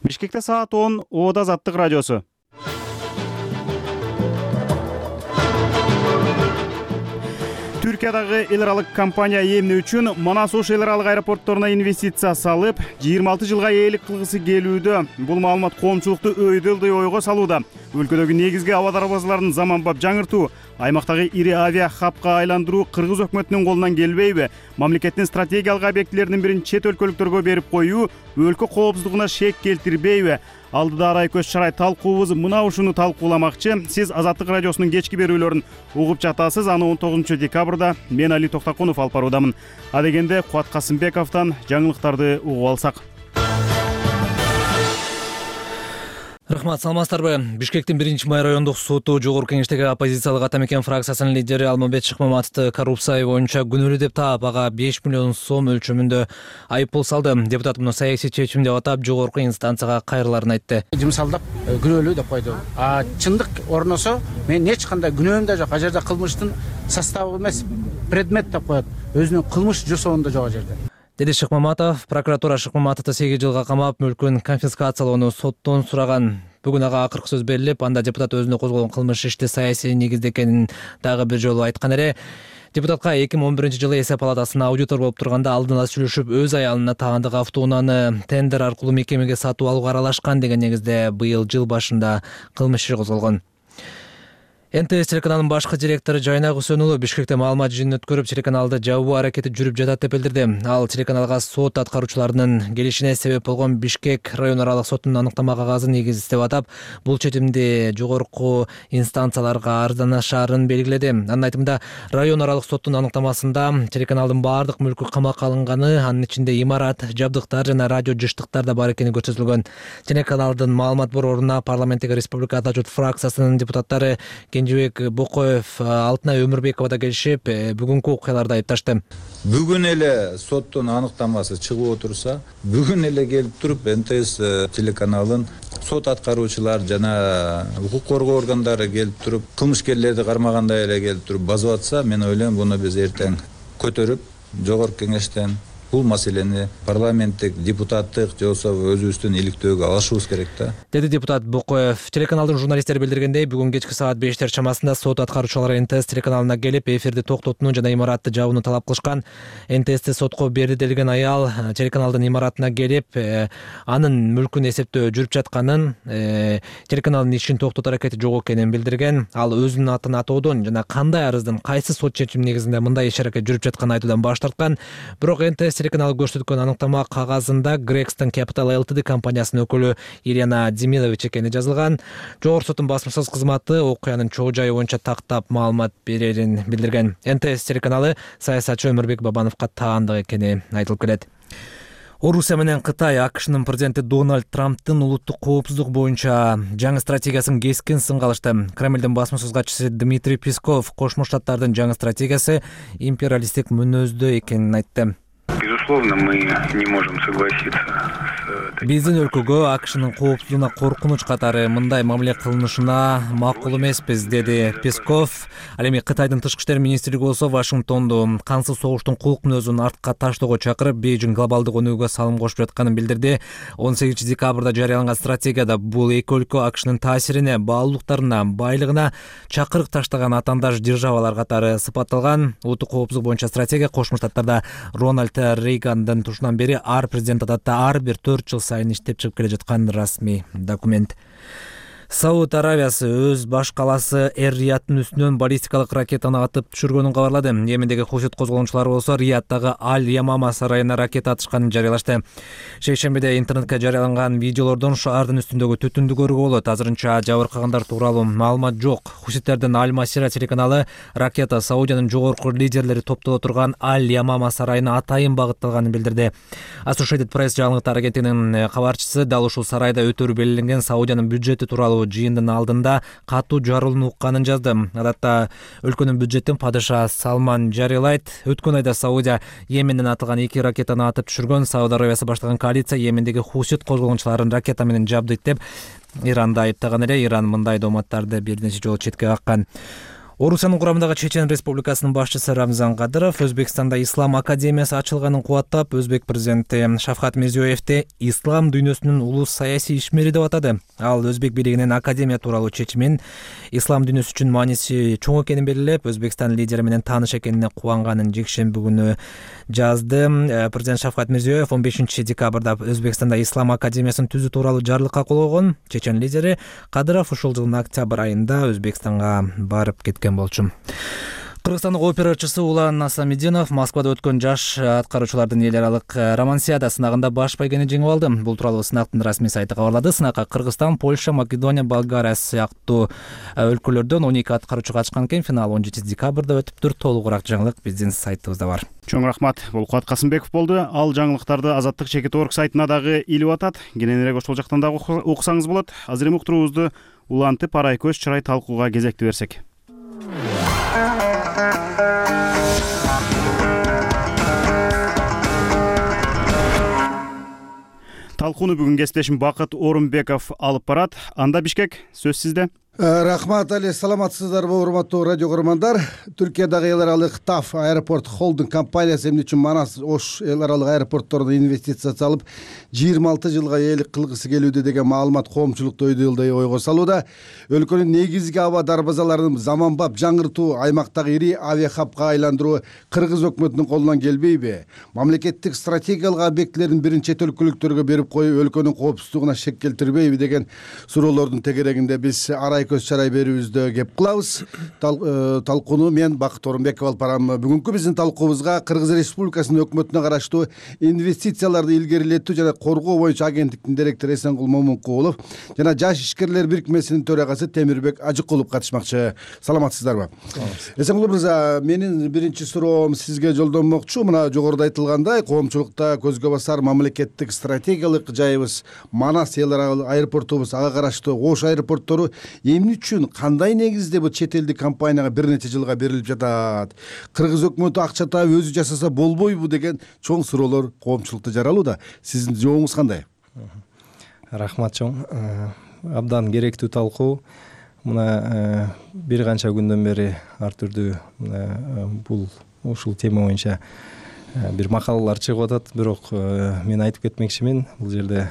Бишкекте саат 10 Ода Азаттык радиосу. Түркиядагы эл аралык компания эмне үчүн Манас Ош эл аралык аэропортторуна инвестиция салып, 26 жылга ээлик кылгысы келүүдө? Бул маалымат коомчулукту өйдөлдөй ойго салууда. Өлкөдөгү негизги аба дарбазаларын заманбап жаңыртуу, аймактагы ири авиа хабка айландыруу кыргыз өкмөтүнүн колунан келбейби? Мамлекеттин стратегиялык объектилеринин бирин чет өлкөлүктөргө берип коюу өлкө коопсуздугуна шек келтирбейби? Алдыда арай көз шарай талкуубуз мына ушуну талкууламакчы. Сиз Азаттык радиосунун кечки берүүлөрүн угуп жатасыз. Аны 19 декабрда мен Али Токтакунов алып баруудамын. Адегенде Кубат Касымбековдон жаңылыктарды угуп алсак. Рахмат, саламатсыздарбы? Бишкектин 1-май райондук соту жогорку кеңештеги оппозициялык ата мекен фракциясынын лидери Алмамбет Шыкмаматовду коррупция боюнча күнөөлүү деп таап, ага 5 миллион сом өлчөмүндө айыппул салды. Депутат муну саясий чечим деп атап, жогорку инстанцияга кайрыларын айтты. Жымсалдап күнөөлүү деп койду. Чындык орносо, мен эч кандай күнөөм да жок. А жерде кылмыштын составы эмес, предмет деп коет. Өзүнүн кылмыш жасоонда жок жерде. Деди Шыкмаматов. Прокуратура Шыкмаматовду 8 жылга камап, мүлкүн конфискациялоону соттон сураган. Бүгүн ага акыркы сөз берилип, анда депутат өзүнө козголгон кылмыш ишти саясий негизде экенин дагы бир жолу айткан эле. Депутатка 2011 жылы эсеп палатасына аудитор болуп турганда алдын ала сүйлөшүп, өз аялына таандык автоунааны тендер аркылуу мекемеге сатып алууга аралашкан деген негизде быйыл жыл башында кылмыш иши козголгон. НТС телеканалынын башкы директору Жайнак Үсөнұлы Бишкекте маалымат жыйынын өткөрүп, телеканалды жабуу аракети жүрүп жатат деп билдирди. Ал телеканалга сот аткаруучуларынын келишине себеп болгон Бишкек район аралык сотунун аныктама кагазын негиздеп атап, бул чечимди жогорку инстанцияларга арызданышаарын белгиледи. Анын айтымында, район аралык соттун аныктамасында телеканалдын баардык мүлкү камакка алынганы, анын ичинде имарат, жабдыктар жана радио жыштыктар да бар экени көрсөтүлгөн. Телеканалдын маалымат борборуна парламенттеги Республика Ата журт фракциясынын депутаттары Кенжебек Бокоев, Алтынай Өмүрбекова да келишип, бүгүнкү окуяларды айыпташты. Бүгүн эле соттун аныктамасы чыгып отурса, бүгүн эле келип туруп НТС телеканалын сот аткаруучулар жана укук коргоо органдары келип туруп, кылмышкерлерди кармагандай эле келип туруп базып атса, мен ойлойм, буну биз эртең көтөрүп, жогорку кеңештен бул маселени парламенттик, депутаттык же болбосо өзүбүздүн иликтөөгө алышыбыз керек да. Деди депутат Бокоев. Телеканалдын журналисттери билдиргендей, бүгүн кечки саат 5 чамасында сот аткаруучулары НТС телеканалына келип, эфирди токтотууну жана имаратты жабууну талап кылышкан. НТСти сотко берди делген аял телеканалдын имаратына келип, анын мүлкүн эсептөө жүрүп жатканын, телеканалдын ишин токтотуу аракети жок экенин билдирген. Ал өзүнүн атын атоодон жана кандай арыздын кайсы сот чечими негизинде мындай иш аракет жүрүп жатканын айтуудан баш тарткан. Бирок НТС телеканалы көрсөткөн аныктама кагазында Gregstone Capital Ltd компаниясынын өкүлү Ирина Демилович экени жазылган. Жогорку соттун басмасөз кызматы окуянын чоо жайы боюнча тактап маалымат берерин билдирген. НТС телеканалы саясатчы Өмүрбек Бабановго таандык экени айтылып келет. Орусия менен Кытай АКШнын президенти Дональд Трамптын улуттук коопсуздук боюнча жаңы стратегиясын кескин сынга алышты. Кремлдин басмасөз катчысы Дмитрий Песков Кошмо Штаттардын жаңы стратегиясы империалисттик мүнөздө экенин айтты. Безусловно, мы не можем согласиться с... Биздин өлкөгө АКШнын коопсуздугуна коркунуч катары мындай мамиле кылынышына макул эмеспиз, деди Песков. Ал эми Кытайдын тышкы иштер министрлиги болсо Вашингтонду кансыз согуштун кулк мүнөзүн артка таштоого чакырып, Бейжиң глобалдык өнүгүүгө салым кошуп жатканын билдирди. 18 декабрда жарыяланган стратегияда бул эки өлкө АКШнын таасирине, баалуулуктарына, байлыгына чакырык таштаган атаандаш державалар катары сыпатталган. Улуттук коопсуздук боюнча стратегия Кошмо Штаттарда Рональд Рейгандын тушунан бери ар президент адатта ар бир 4 жыл сайын иштеп чыгып келе жаткан расмий документ. Сауд Аравиясы өз баш каласы Эр-Рияттын үстүнөн баллистикалык ракетаны атып түшүргөнүн кабарлады. Йемендеги хусит козголгончулары болсо Рияттагы Аль-Ямама сарайына ракета атышканын жарыялашты. Шейшембиде интернетке жарыяланган видеолордон шаардын үстүндөгү түтүндү көрүүгө болот. Азырынча жабыркагандар тууралуу маалымат жок. Хуситтердин Аль-Масира телеканалы ракета Саудиянын жогорку лидерлери топтоло турган Аль-Ямама сарайына атайын багытталганын билдирди. Associated Press жаңылыктар агенттигинин кабарчысы дал ушул сарайда өтөрү белгиленген Саудиянын бюджети тууралуу жыйындын алдында катуу жарылууну укканын жазды. Адатта өлкөнүн бюджетин падыша Салман жарыялайт. Өткөн айда Саудия Йеменден атылган 2 ракетаны атып түшүргөн. Сауд Аравиясы баштаган коалиция Йемендеги хусит козголгончуларын ракета менен жабдыйт деп Иранды айыптаган эле. Иран мындай дооматтарды бир нече жолу четке каккан. Орусиянын курамындагы Чечен Республикасынын башчысы Рамзан Кадыров Өзбекстанда Ислам академиясы ачылганын кубаттап, Өзбек президенти Шавкат Мирзиёевди ислам дүйнөсүнүн улуу саясий ишмери деп атады. Ал Өзбек бийлигинин академия тууралуу чечимин ислам дүйнөсү үчүн мааниси чоң экенин белгилеп, Өзбекстан лидери менен тааныш экенине кубанганын жекшемби күнү жазды. Президент Шавкат Мирзиёев 15 декабрда Өзбекстанда Ислам академиясын түзүү тууралуу жарлыкка кол койгон. Чечен лидери Кадыров ушул жылдын октябрь айында Өзбекстанга барып кеткен болчу. Кыргызстандык опера ырчысы Улан Насамидинов Москвада өткөн жаш аткаруучулардын эл аралык романсиада сынагында баш байгени жеңип алды. Бул тууралуу сынактын расмий сайты кабарлады. Сынакка Кыргызстан, Польша, Македония, Болгария сыяктуу өлкөлөрдөн 12 аткаруучу катышкан экен. Финал 17 декабрда өтүптүр. Толугураак жаңылык биздин сайтыбызда бар. Чоң рахмат. Бул Кубат Касымбеков болду. Ал жаңылыктарды Азаттык чекит орг сайтына дагы илип атат. Кененирээк ошол жактан дагы окусаңыз болот. Азыр эми уктуруубузду улантып арай көз чырай талкууга кезекти берсек. Талкууну бүгүн кесиптешим Бакыт Орунбеков алып барат. Анда Бишкек, сөз сизде. Рахмат Али, саламатсыздарбы урматтуу радио көрөрмандар. Түркиядагы эл аралык ТАФ аэропорт холдинг компаниясы эмне үчүн Манас Ош эл аралык аэропортторуна инвестиция салып 26 жылга ээлик кылгысы келүүдө деген маалымат коомчулукту өйдөлдөй ойго салууда. Өлкөнүн негизги аба дарбазаларын заманбап жаңыртуу, аймактагы ири авиахабка айландыруу кыргыз өкмөтүнүн колунан келбейби? Мамлекеттик стратегиялык объектилердин бирин чет өлкөлүктөргө берип коюп, өлкөнүн коопсуздугуна шек келтирбейби деген суроолордун тегерегинде биз көз чарай берүүбүздө кеп кылабыз. Талкууну мен Бакыт Орунбеков алып барам. Бүгүнкү биздин талкуубузга Кыргыз Республикасынын өкмөтүнө караштуу инвестицияларды илгерилетүү жана коргоо боюнча агенттиктин директору Эсенгул Момункулов жана Жаш ишкерлер бирикмесинин төрагасы Темирбек Ажыкулов катышмакчы. Саламатсыздарбы? Эсенгул мырза, менин биринчи суроом сизге жолдонмокчу. Мына жогоруда айтылгандай, коомчулукта көзгө басар мамлекеттик стратегиялык жайыбыз Манас эл аралык аэропортубуз, ага караштуу Ош аэропорттору эмне үчүн, кандай негизде бул чет элдик компанияга бир нече жылга берилип жатат? Кыргыз өкмөтү акча таап өзү жасаса болбойбу деген чоң суроолор коомчулукта жаралууда. Сиздин жообуңуз кандай? Рахмат чоң. Абдан керектүү талкуу. Мына бир канча күндөн бери ар түрдүү бул ушул тема боюнча бир макалалар чыгып атат, бирок мен айтып кетмекчимин, бул жерде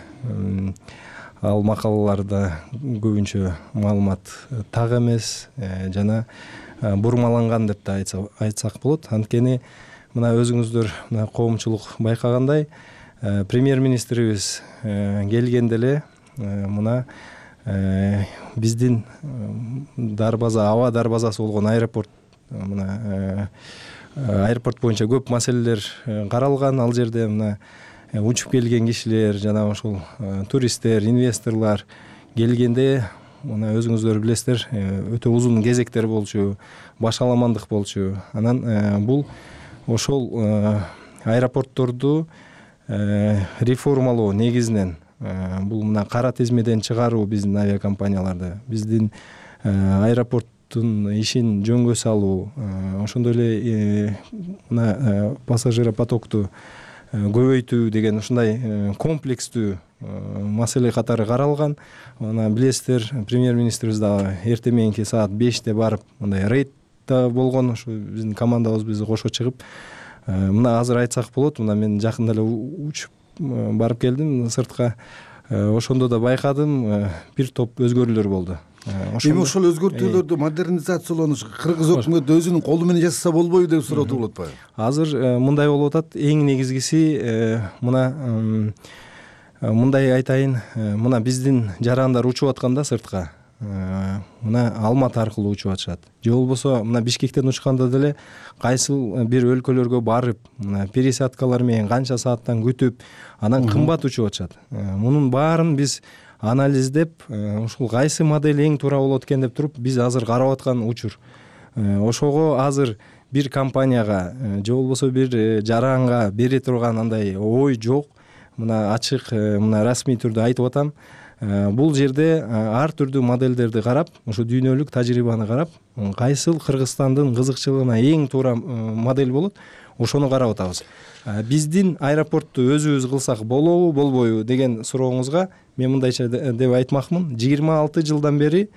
ал макалаларда көбүнчө маалымат так эмес жана бурмаланган деп да айтсак болот. Анткени мына өзүңүздөр коомчулук байкагандай, премьер-министрибиз келгенде эле мына биздин дарбаза, аба дарбазасы болгон аэропорт, мына аэропорт боюнча көп маселелер каралган. Ал жерде мына учуп келген кишилер жана ошол туристтер, инвесторлор келгенде мына өзүңүздөр билесиздер, өтө узун кезектер болчу, башаламандык болчу. Анан бул ошол аэропортторду реформалоо негизинен бул мына кара тизмеден чыгаруу биздин авиакомпанияларды, биздин аэропорттун ишин жөнгө салуу, ошондой эле мына пассажиропотокту көбөйтүү деген ушундай комплекстүү маселе катары каралган. Ана билесиздер, премьер-министрибиз дагы эртең мененки саат 5-те барып мындай рейдда болгон. Ушу биздин командабыз бизди кошо чыгып, мына азыр айтсак болот, мына мен жакында эле учуп барып келдим сыртка. Ошондо да байкадым, бир топ өзгөрүүлөр болду. Эми ошол өзгөртүүлөрдү модернизациялоону кыргыз өкмөтү өзүнүн колу менен жасаса болбойбу деп сурооду болот атпайбы? Азыр мындай болуп атат. Эң негизгиси мына мындай айтайын, мына биздин жарандар учуп атканда сыртка, мына Алматы аркылуу учуп атышат. Же болбосо мына Бишкектен учканда деле кайсыл бир өлкөлөргө барып, мына пересадкалар менен канча сааттан күтүп, анан кымбат учуп атышат. Мунун баарын биз анализдеп, ушул кайсы модель эң туура болот экен деп туруп, биз азыр карап аткан учур. Ошого азыр бир компанияга же болбосо бир жаранга бере турган андай ой жок. Мына ачык, мына расмий түрдө айтып атам. Бул жерде ар түрдүү модельдерди карап, ушу дүйнөлүк тажрыйбаны карап, кайсыл Кыргызстандын кызыкчылыгына эң туура модель болот, ошону карап атабыз. Биздин аэропортту өзүбүз кылсак болобу, болбойбу деген сурооңузга мен мындайча деп айтмакмын. 26 жылдан бери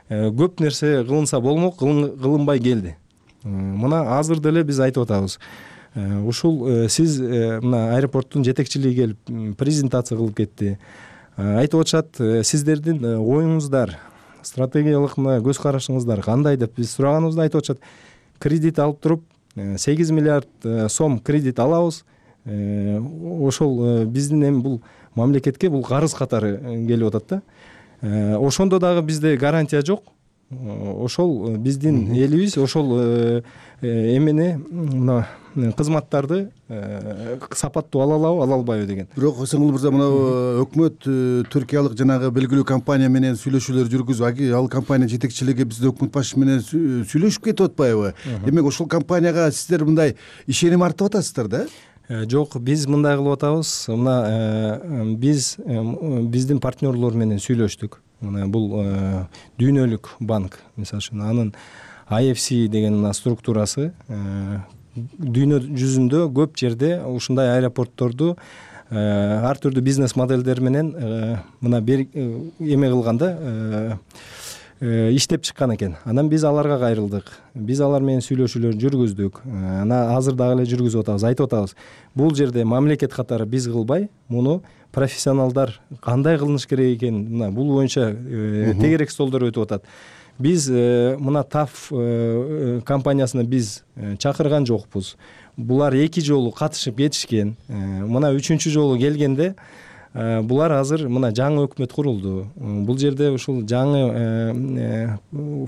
көп нерсе кылынса болмок, кылынбай келди. Мына азыр деле биз айтып атабыз. Ушул сиз мына аэропорттун жетекчилиги келип презентация кылып кетти. Айтып атышат, сиздердин оюңуздар, стратегиялык мына көз карашыңыздар кандай деп биз сураганыбызда айтып атышат, кредит алып туруп 8 миллиард сом кредит алабыз. Ошол биздин эми бул мамлекетке бул карыз катары келип атат да. Ошондо дагы бизде гарантия жок. Ошол биздин элибиз ошол эмени мына кызматтарды сапаттуу ала алабы, ала албайбы деген. Бирок Сеңгул мырза, мына өкмөт түркиялык жанагы белгилүү компания менен сүйлөшүүлөр жүргүзүп, ал компания жетекчилиги бизде өкмөт башы менен сүйлөшүп кетип атпайбы? Демек ошол компанияга сиздер мындай ишеним артып атасыздар да? Жок, биз мындай кылып атабыз. Мына биздин партнерлор менен сүйлөштүк. Мына бул дүйнөлүк банк, мисалы үчүн анын IFC деген структурасы дүйнө жүзүндө көп жерде ушундай аэропортторду ар түрдүү бизнес моделдер менен мына эме кылганда иштеп чыккан экен. Анан биз аларга кайрылдык. Биз алар менен сүйлөшүүлөр жүргүздүк. Ана азыр дагы эле жүргүзүп атабыз. Айтып атабыз. Бул жерде мамлекет катары биз кылбай, муну профессионалдар кандай кылыныш керек экен, мына бул боюнча тегерек столдор өтүп атат. Биз мына ТАФ компаниясына биз чакырган жокпуз. Булар 2 жолу катышып кетишкен. Мына 3-чү жолу келгенде булар азыр мына жаңы өкмөт курулду. Бул жерде ушул жаңы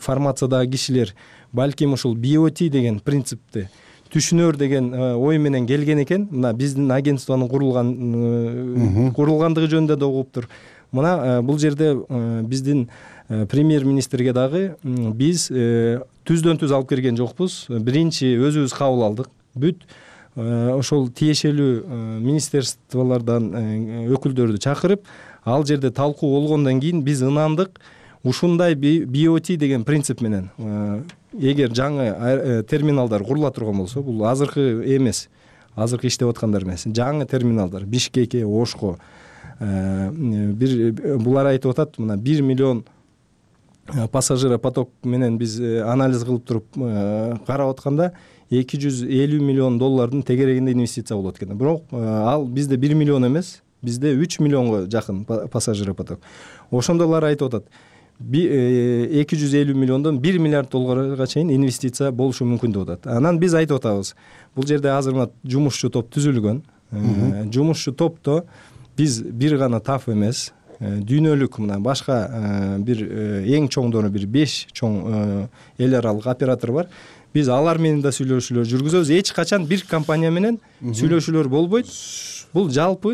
формациядагы кишилер балким ушул BOT деген принципти түшүнөр деген ой менен келген экен. Мына биздин агентствонун курулгандыгы жөнүндө да угуптур. Мына бул жерде биздин премьер-министрге дагы биз түздөн түз алып келген жокпуз. Биринчи өзүбүз кабыл алдык. Бүт ошол тиешелүү министерстволордон өкүлдөрдү чакырып, ал жерде талкуу болгондон кийин биз ынандык. Ушундай BOT деген принцип менен эгер жаңы терминалдар курула турган болсо, бул азыркы эмес, азыркы иштеп аткандар эмес, жаңы терминалдар Бишкекке, Ошко булар айтып атат, мына 1 миллион пассажиропоток менен биз анализ кылып туруп карап атканда $250 миллион тегерегинде инвестиция болот экен. Бирок ал бизде 1 миллион эмес, бизде 3 миллионго жакын пассажиропоток. Ошондолор айтып атат, 250 миллиондон 1 миллиард долларга чейин инвестиция болушу мүмкүн деп атат. Анан биз айтып атабыз, бул жерде азыр мына жумушчу топ түзүлгөн. Жумушчу топто биз бир гана ТАФ эмес, дүйнөлүк мына башка бир эң чоңдору бир 5 чоң эл аралык оператор бар. Биз алар менен да сүйлөшүүлөр жүргүзөбүз. Эч качан бир компания менен сүйлөшүүлөр болбойт. Бул жалпы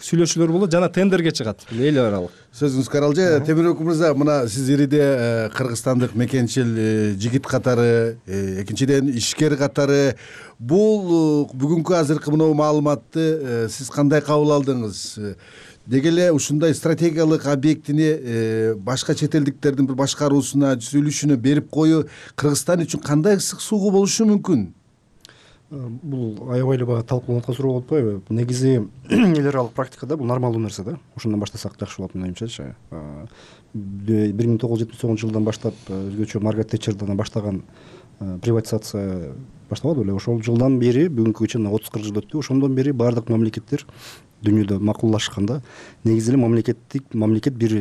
сүйлөшүүлөр болот, жана тендерге чыгат эл аралык. Сөзүңүз каралжы. Темирбек мырза, мына сиз ириде кыргызстандык мекенчил жигит катары, экинчиден ишкер катары, бул бүгүнкү азыркы мына маалыматты сиз кандай кабыл алдыңыз? Деги эле ушундай стратегиялык объектини башка чет элдиктердин бир башкаруусуна, түзүлүшүнө берип коюу Кыргызстан үчүн кандай ысык суугу болушу мүмкүн? Бул аябай эле баягы талкууланып аткан суроо болуп атпайбы? Негизи эл аралык практикада бул нормалдуу нерсе да. Ошондон баштасак жакшы болот менимчечи. 1979 жылдан баштап өзгөчө Маргарет Тэтчерден баштаган приватизация башталбадыбы эле? Ошол жылдан бери бүгүнкүгө чейин 30-40 жыл өттү. Ошондон бери баардык мамлекеттер дүйнөдө макуллашканда негизи эле мамлекет бир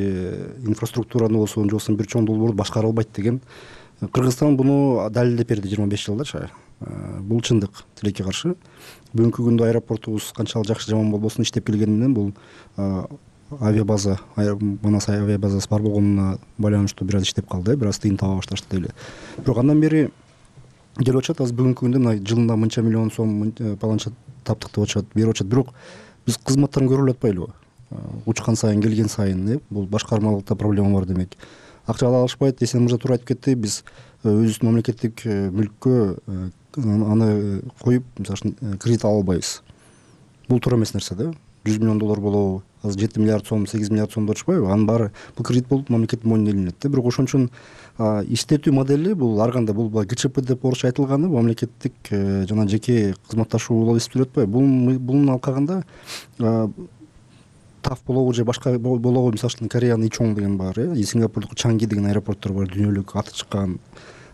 инфраструктураны болсо, же бир чоң долбоорду башкара албайт деген. Кыргызстан буну далилдеп берди 25 жылдачы. Бул чындык, тилекке каршы. Бүгүнкү күндө аэропортубуз канчалык жакшы жаман болбосун иштеп келгени менен бул авиабаза, Манас авиабазасы бар болгонуна байланыштуу бир аз иштеп калды, бир аз тыйын таба башташты деп эле. Бирок андан бери келип атышат, азыр бүгүнкү күндө мына жылына мынча миллион сом паланча таптык деп атышат, берип атышат. Бирок биз кызматтарын көрө албай атпайлыбы? Учкан сайын, келген сайын, бул башкармалыкта проблема бар демек. Акча ала алышпайт, Эсен мырза туура айтып кетти. Биз өзүбүздүн мамлекеттик мүлккө аны коюп, мисалы үчүн кредит ала албайбыз. Бул туура эмес нерсе да. $100 миллион болобу, азыр 7 миллиард сом, 8 миллиард сом деп атышпайбы? Анын баары бул кредит болуп мамлекеттин мойнуна илинет да. Бирок ошон үчүн иштетүү модели бул ар кандай, бул ГЧП деп орусча айтылганы, мамлекеттик жана жеке кызматташуу болуп эсептелип атпайбы? Бунун алкагында таф болобу же башка болобу, мисалы үчүн Кореянын Ичон деген бар, Сингапурдук Чанги деген аэропорттор бар, дүйнөлүк аты чыккан.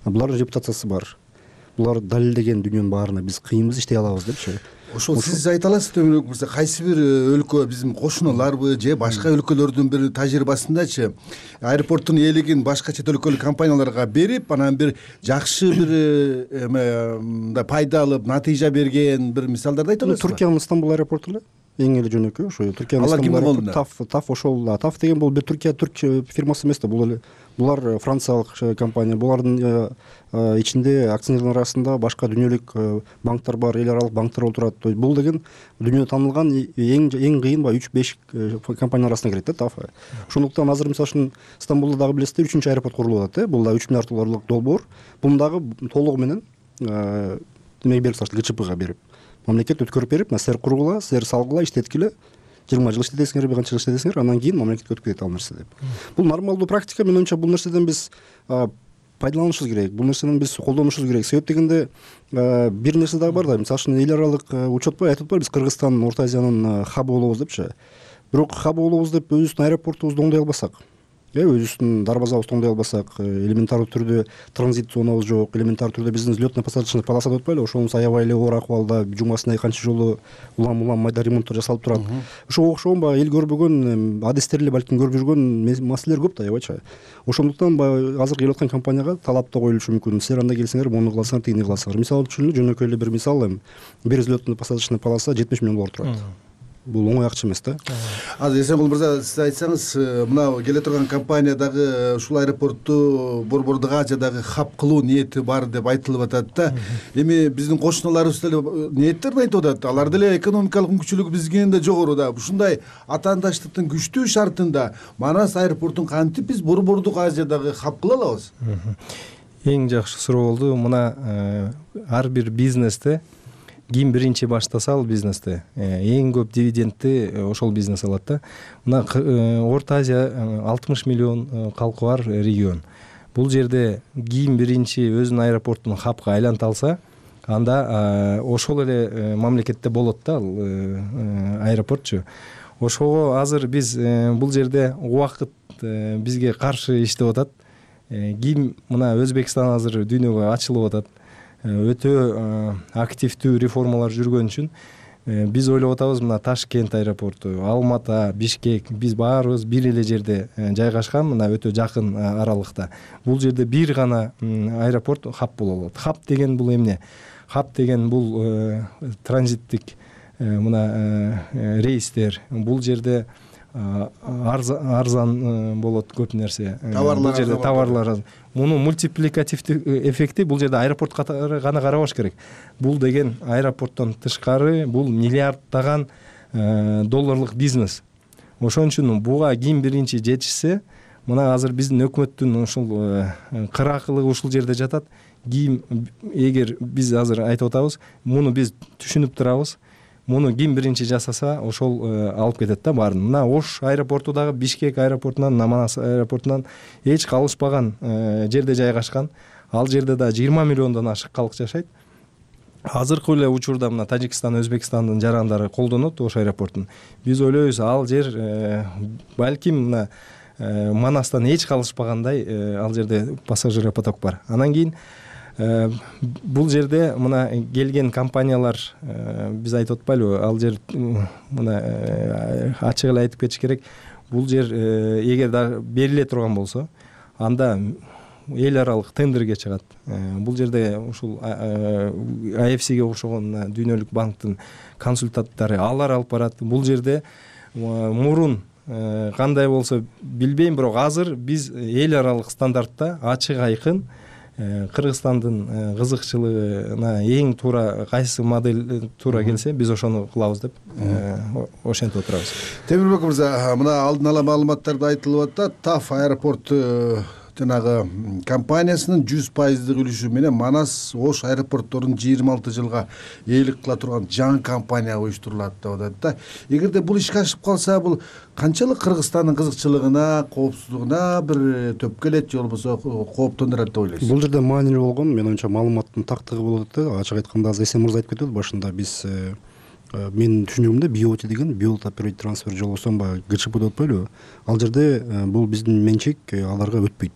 Булардын репутациясы бар. Булар далилдеген дүнүйөнүн баарына биз кыйынбыз, иштей алабыз депчи. Ошол сиз айта аласыз төмөнүк мырза, кайсы бир өлкө биздин кошуналарбы же башка өлкөлөрдүн бир тажрыйбасындачы аэропорттун ээлигин башка чет өлкөлүк компанияларга берип, анан бир жакшы бир мындай пайда алып, натыйжа берген бир мисалдарды айта аласызбы? Түркиянын Стамбул аэропорту эле эң эле жөнөкөй, ошо Түркиянын Стамбул аэропорту. Таф ошол. Таф деген бул бир түрк фирмасы эмес да, бул эле булар франциялык компания. Булардын ичинде акционерлер арасында башка дүйнөлүк банктар бар, эл аралык банктар отурат. Бул деген дүйнөдө таанылган эң кыйын 3-5 компания арасына кирет да Таф. Ошондуктан азыр мисалы үчүн Стамбулда дагы билесиздер 3-чү аэропорт курулуп атат. Бул да 3 миллиард долларлык долбоор. Буну дагы толугу менен демек берип салышты, ГЧПга берип. Мамлекет өткөрүп берип, силер кургула, силер салгыла, иштеткиле, 20 жыл иштетесиңер, бир канча жыл иштетесиңер, анан кийин мамлекетке өтүп кетет ал нерсе деп. Бул нормалдуу практика. Мен оюмча бул нерседен биз пайдаланышыбыз керек, бул нерсени биз колдонушубуз керек. Себеп дегенде бир нерсе дагы бар да, мисалы үчүн эл аралык учетпой айтып атпайбы, биз Кыргызстан Орто Азиянын хабы болобуз депчи. Бирок хабы болобуз деп өзүбүздүн аэропортубузду оңдой албасак, өзүбүздүн дарбазабызды оңдой албасак, элементардуу түрдө транзит зонабыз жок, элементардуу түрдө биздин взлётно-посадочный полоса деп атпайлы, ошонун аябай эле оор акыбалда, жумасына канча жолу улам майда ремонттор жасалып турат. Ошого окшогон баягы эл көрбөгөн, адистер эле балким көрүп жүргөн маселелер көп да, аябайча. Ошондуктан азыр келип аткан компанияга талап да коюлушу мүмкүн. Силер анда келсеңер, муну кыласыңар, тигини кыласыңар. Мисалы үчүн жөнөкөй эле бир мисал, бир взлётно-посадочный полоса 70 миллион доллар турат. Бул оңой акча эмес да. Азыр Эсенгул мырза, сиз айтсаңыз, мына келе турган компания дагы ушул аэропортту борбордо канча дагы хаб кылуу ниети бар деп айтылып атат да. Эми биздин кошуналарыбыз деле ниеттерин айтып атат. Алар деле экономикалык мүмкүнчүлүгү бизден да жогору да. Ушундай атаандаштыктын күчтүү шартында Манас аэропортун кантип биз борбордук Азиядагы хаб кыла алабыз? Эң жакшы суроо болду. Мына ар бир бизнесте ким биринчи баштаса ал бизнесте эң көп дивидендти ошол бизнес алат да. Мына Орто Азия 60 миллион калкы бар регион. Бул жерде ким биринчи өзүнүн аэропортун хабка айланта алса, анда ошол эле мамлекетте болот да ал аэропортчу. Ошого азыр биз бул жерде убакыт бизге каршы иштеп атат. Ким мына Өзбекстан азыр дүйнөгө ачылып атат. Өтө активдүү реформалар жүргөн үчүн биз ойлоп атабыз, мына Ташкент аэропорту, Алмата, Бишкек, биз баарыбыз бир эле жерде жайгашкан, мына өтө жакын аралыкта. Бул жерде бир гана аэропорт хаб боло алат. Хаб деген бул эмне? Хаб деген бул транзиттик мына рейстер. Бул жерде арзан болот көп нерсе. Бул жерде товарлар. Мунун мультипликативдүү эффекти бул жерде аэропорт катары гана карабаш керек. Бул деген аэропорттон тышкары бул миллиарддаган долларлык бизнес. Ошон үчүн буга ким биринчи жетишсе, мына азыр биздин өкмөттүн ушул кыракылыгы ушул жерде жатат. Ким эгер биз азыр айтып атабыз, муну биз түшүнүп турабыз. Муну ким биринчи жасаса, ошол алып кетет да баарын. Мына Ош аэропорту дагы Бишкек аэропортунан, Манас аэропортунан эч калышпаган жерде жайгашкан. Ал жерде да 20 миллиондон ашык калк жашайт. Азыркы эле учурда мына Тажикстан, Өзбекстандын жарандары колдонот Ош аэропортун. Биз ойлойбуз, ал жер балким мына Манастан эч калышпагандай ал жерде пассажир поток бар. Анан кийин бул жерде мына келген компаниялар биз айтып атпайлыбы, ал жер мына ачык эле айтып кетиш керек. Бул жер эгер да бериле турган болсо, анда эл аралык тендерге чыгат. Бул жерде ушул AFCге окшогон дүйнөлүк банктын консультанттары алар алып барат. Бул жерде мурун кандай болсо билбейм, бирок азыр биз эл аралык стандартта ачык айкын Кыргызстандын кызыкчылыгына эң туура кайсы модель туура келсе, биз ошону кылабыз деп ошентип отурабыз. Темирбек мырза, мына алдын ала маалыматтарда айтылып атат, Таф аэропорт жанагы компаниясынын 100% үлүшү менен Манас Ош аэропортторун 26 жылга ээлик кыла турган жаңы компания уюштурулат деп атат да. Эгерде бул ишке ашып калса, бул канчалык Кыргызстандын кызыкчылыгына, коопсуздугуна бир төп келет, же болбосо кооптондурат деп ойлойсуз? Бул жерде маанилүү болгон, мен оюмча маалыматтын тактыгы болот да. Ачык айтканда Эсен мырза айтып кетти башында, биз Менин түшүнүгүмдө BOT деген Build Operate Transfer жолгосун баягы ГЧП деп атпайлыбы, ал жерде бул биздин менчек аларга өтпөйт.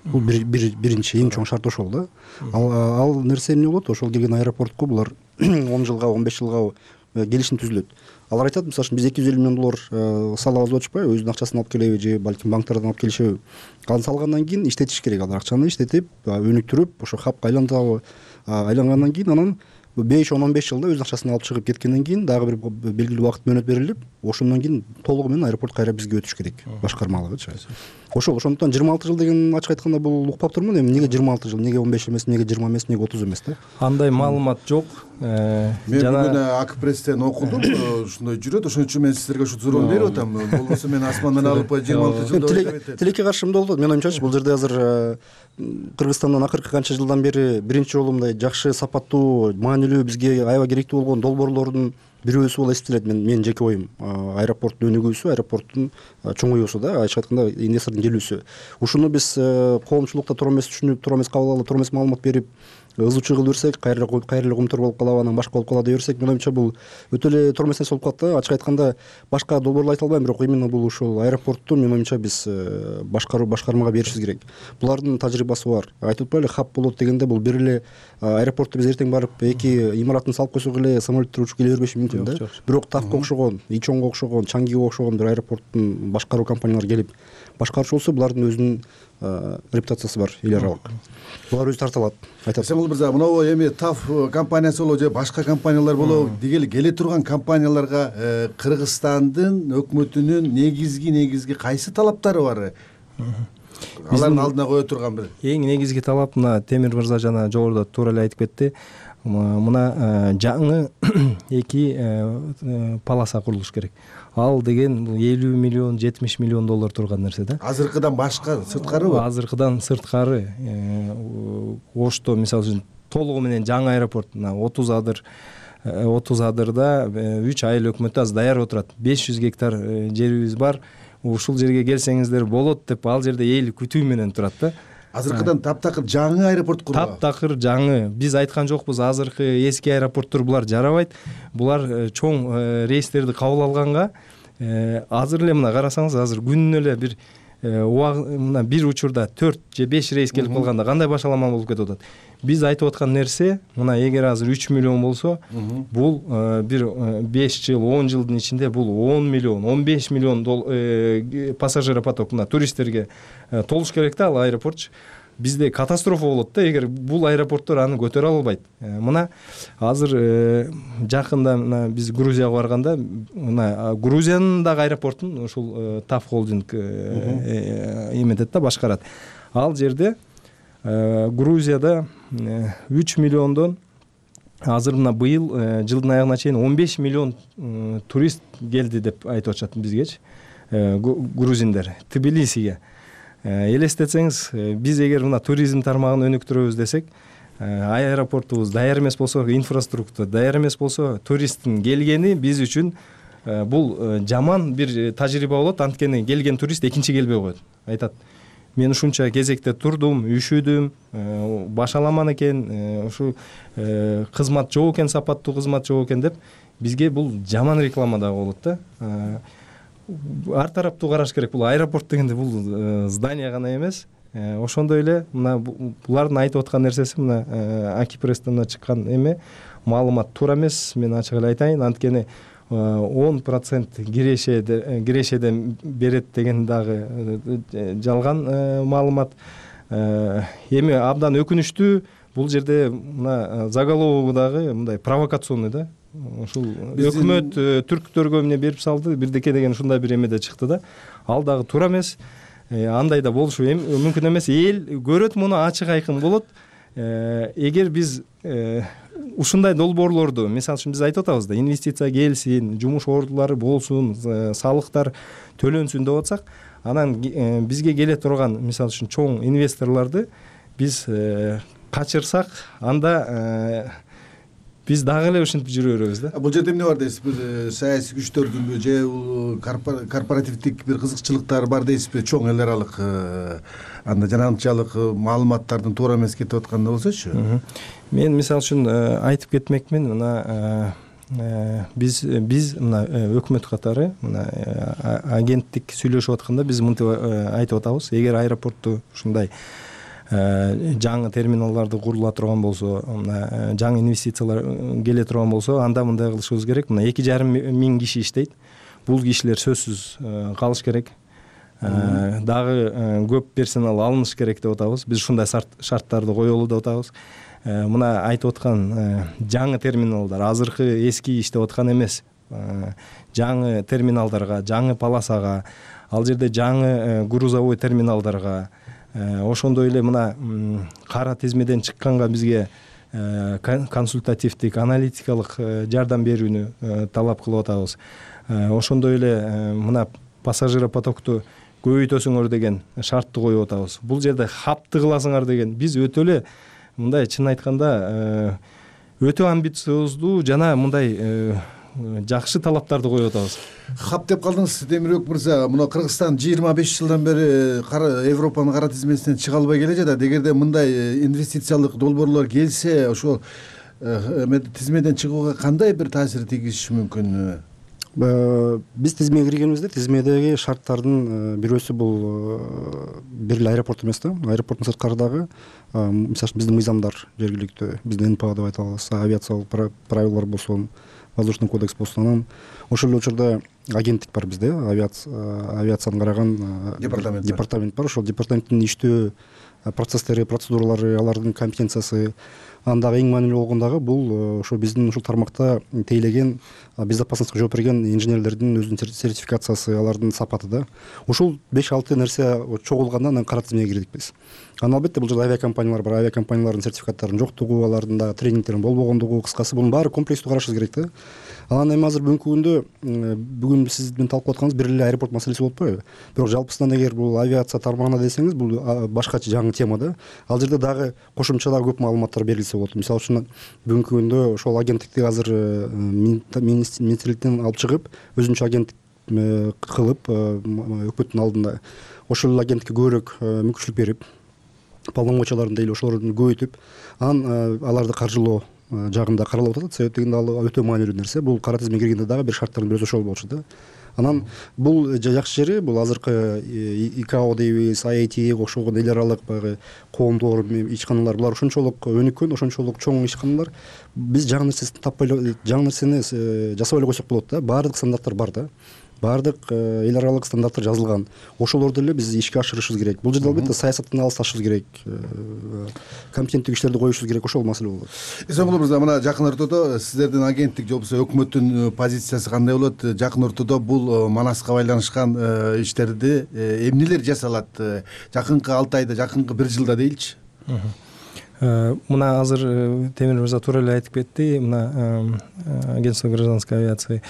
Бул биринчи эң чоң шарт ошол да. Ал нерсе эмне болот? Ошол келген аэропортко булар 10 жылга 15 жылга келишим түзүлөт. Алар айтат, мисалы үчүн биз $250 миллион салабыз деп атышпайбы, өзүнүн акчасын алып келеби же балким банктардан алып келишеби. Ал салгандан кийин иштетиш керек, алар акчаны иштетип, өнүктүрүп, ошо хабка айлантабы, айлангандан кийин анан 5-15 жылда өз акчасын алып чыгып кеткенден кийин дагы бир белгилүү убакыт мөөнөт берилип, ошондон кийин толугу менен аэропорт кайра бизге өтүш керек, башкармалыгычы. Ошондуктан 26 жыл деген ачык айтканда бул укпап турмун. Эми неге 26 жыл, неге 15 эмес, неге 20 эмес, неге 30 эмес да? Андай маалымат жок. Мен бүгүн АК пресстен окудум, ушундай жүрөт. Ошон үчүн мен сиздерге ушу суроону берип атам. Болбосо мен асмандан алып 26 жылда тилекке каршы эмне болот? Менин оюмчачы бул жерде азыр Кыргызстандан акыркы канча жылдан бери биринчи жолу мындай жакшы, сапаттуу, маанилүү, бизге аябай керектүү болгон долбоорлордун бирөөсү болуп эсептелет. Менин жеке оюм. Аэропорттун өнүгүүсү, аэропорттун чоңоюусу да, айча айтканда инвестордун келүүсү. Ушуну биз коомчулукта туура эмес түшүнүп, туура эмес кабыл алып, туура эмес маалымат берип, ызычуу кылып берсек, кайра эле комтор болуп калабы, анан башка болуп калат деп берсек, менин оюмча бул өтө эле туура эмес нерсе болуп калат да. Ачык айтканда башка долбоорлорду айта албайм, бирок именно бул ушул аэропортту менин оюмча биз башкармага беришибиз керек. Булардын тажрыйбасы бар. Айтып атпайлы, хаб болот дегенде бул бир эле аэропортто биз эртең барып эки имаратын салып койсок эле самолеттер учуп келе бербеши мүмкүн да. Бирок Тавка окшогон, Ичонго окшогон, Чангиге окшогон бир аэропорттун башкаруу компаниялары келип башкаруучу болсо, булардын өзүнүн репутациясы бар, эл аралык. Булар өзү тарта алат. Айтат. Сеңил мырза, мынау эми ТАФ компаниясы болобу же башка компаниялар болобу, дегеле келе турган компанияларга Кыргызстандын өкмөтүнүн негизги кайсы талаптары бар? Алардын алдына кое турган бир эң негизги талап, мына Темир мырза жана жогоруда туура эле айтып кетти. Мына жаңы эки полоса курулуш керек. Ал деген 50 миллион, 70 миллион доллар турган нерсе да. Азыркыдан башка сырткарыбы? Азыркыдан сырткары. Ошто мисалы үчүн толугу менен жаңы аэропорт, 30 адырда 3 айыл өкмөтү азыр даярып отурат. 500 гектар жерибиз бар. Ушул жерге келсеңиздер болот деп, ал жерде эл күтүү менен турат да. Азыркыдан таптакыр жаңы аэропорт курган. Таптакыр жаңы. Биз айткан жокпуз, азыркы эски аэропорттор булар жарабайт. Булар чоң рейстерди кабыл алганга азыр эле мына карасаңыз, азыр күнүнө эле бир мына бир учурда 4 же 5 рейс келип калганда кандай башалама болуп кетип атат. Биз айтып аткан нерсе, мына эгер азыр 3 миллион болсо, бул бир 5 жыл, 10 жылдын ичинде бул 10 миллион, 15 миллион пассажир поток, мына туристтерге толуш керек да ал аэропорт. Бизде катастрофа болот да, эгер бул аэропорттор аны көтөрө албайт. Мына азыр жакында мына биз Грузияга барганда, мына Грузиянын дагы аэропортун ушул ТАФ холдинг эметет да, башкарат. Ал жерде Грузияда 3 миллиондон азыр мына быйыл жылдын аягына чейин 15 миллион турист келди деп айтып атышат бизгечи, грузиндер Тбилисиге. Элестетсеңиз, биз эгер мына туризм тармагын өнүктүрөбүз десек, аэропортубуз даяр эмес болсо, инфраструктура даяр эмес болсо, туристтин келгени биз үчүн бул жаман бир тажрыйба болот. Анткени келген турист экинчи келбей коет. Айтат: мен ушунча кезекте турдум, үшүдүм, башаламан экен, ушу кызмат жок экен, сапаттуу кызмат жок экен деп, бизге бул жаман реклама да болот да. Ар тараптуу караш керек. Бул аэропорт дегенде бул здание гана эмес. Ошондой эле мына булардын айтып аткан нерсеси, мына Аки пресстен чыккан эме маалымат туура эмес, мен ачык эле айтайын. Анткени 10% кирешеден берет деген дагы жалган маалымат. Эми абдан өкүнүчтүү, бул жерде мына заголовогу дагы мындай провокационный да. Ушул өкмөт түрктөргө эмне берип салды, бирдеке деген ушундай бир эмеде чыкты да. Ал дагы туура эмес. Андай да болушу мүмкүн эмес. Эл көрөт, муну ачык айкын болот. Эгер биз ушундай долбоорлорду, мисалы үчүн биз айтып атабыз да, инвестиция келсин, жумуш ордулары болсун, салыктар төлөнсүн деп атсак, анан бизге келе турган, мисалы үчүн чоң инвесторлорду биз качырсак, анда биз дагы эле ушинтип жүрө беребиз да. Бул жерде эмне бар дейсизби? Бир саясий күчтөрдүнбү же корпоративдик бир кызыкчылыктар бар дейсизби? Чоң эл аралык анда жанагынчалык маалыматтардын туура эмес кетип атканда болсочу. Мен мисалы үчүн айтып кетмекмин, мына биз мына өкмөт катары мына агенттик сүйлөшүп атканда биз мынтип айтып атабыз: эгер аэропортту ушундай жаңы терминалдарды курула турган болсо, мына жаңы инвестициялар келе турган болсо, анда мындай кылышыбыз керек. Мына 2,5 миң киши иштейт. Бул кишилер сөзсүз калыш керек. Дагы көп персонал алыныш керек деп атабыз. Биз ушундай шарттарды коелу деп атабыз. Мына айтып аткан жаңы терминалдар азыркы эски иштеп аткан эмес. Жаңы терминалдарга, жаңы полосага, ал жерде жаңы грузовой терминалдарга, ошондой эле мына кара тизмеден чыкканга бизге консультативдик, аналитикалык жардам берүүнү талап кылып атабыз. Ошондой эле мына пассажиропотокту көбөйтөсүңөр деген шартты коюп атабыз. Бул жерде хабты кыласыңар деген. Биз өтө эле мындай чын айтканда өтө амбициоздуу жана мындай жакшы талаптарды коюп атабыз. Хаб деп калдыңыз, Темирбек мырза. Мына Кыргызстан 25 жылдан бери Европанын кара тизмесинен чыга албай келе жатат. Эгерде мындай инвестициялык долбоорлор келсе, ошол тизмеден чыгууга кандай бир таасир тийгизиши мүмкүн? Биз тизмеге киргенибизде тизмедеги шарттардын бирөөсү бул бир эле аэропорт эмес да. Аэропорттун сырткары дагы мисалы үчүн биздин мыйзамдар жергиликтүү, биздин НПА деп айта алабыз, авиациялык правилалар болсун, воздушный кодекс болсун. Анан ошол эле учурда агенттик бар бизде, авиацияны караган департамент бар. Ошол департаменттин иштөө процесстери, процедуралары, алардын компетенциясы, андагы эң маанилүү болгон дагы бул ошо биздин ушул тармакта тейлеген безопасностько жооп берген инженерлердин өзүнүн сертификациясы, алардын сапаты да. Ушул 5-6 нерсе чогулганда анан кара тизмеге кирдик биз. Анан албетте бул жерде авиакомпаниялар бар, авиакомпаниялардын сертификаттарынын жоктугу, алардын дагы тренингтеринин болбогондугу, кыскасы бунун баары комплекстүү карашыбыз керек да. Анан эми азыр бүгүнкү күндө бүгүн сиз менен талкуулап атканыбыз бир эле аэропорт маселеси болуп атпайбы? Бирок жалпысынан эгер бул авиация тармагына десеңиз, бул башкача жаңы тема да. Ал жерде дагы кошумча дагы көп маалыматтар берилсе болот. Мисалы үчүн бүгүнкү күндө ошол агенттикти азыр министрликтен алып чыгып, өзүнчө агенттик кылып өкмөттүн алдында ошол агенттикке көбүрөөк мүмкүнчүлүк берип, полномочияларын дейли ошолорду көбөйтүп, анан аларды каржылоо жагында каралып атат. Себеп дегенде ал өтө маанилүү нерсе. Бул кара тизмеге киргенде дагы бир шарттардын бирөөсү ошол болчу да. Анан бул жакшы жери бул азыркы ИКАО дейбиз, IATA окшогон эл аралык баягы коомдор, ичканалар, булар ошончолук өнүккөн, ошончолук чоң ичканалар. Биз жаңы нерсени таппай эле, жаңы нерсени жасап эле койсок болот да. Баардык стандарттар бар да. Баардык эл аралык стандарттар жазылган. Ошолорду эле биз ишке ашырышыбыз керек. Бул жерде албетте саясаттан алысташыбыз керек, компетенттүү кишилерди коюшубуз керек. Ошол маселе болот. Исомгул мырза, мына жакын ортодо сиздердин агенттик же болбосо өкмөттүн позициясы кандай болот? Жакын ортодо бул Манаска байланышкан иштерди эмнелер жасалат? Жакынкы 6 айда, жакынкы 1 жылда дейилчи. Мына азыр Темир мырза туура эле айтып кетти. Мына агентство гражданской авиации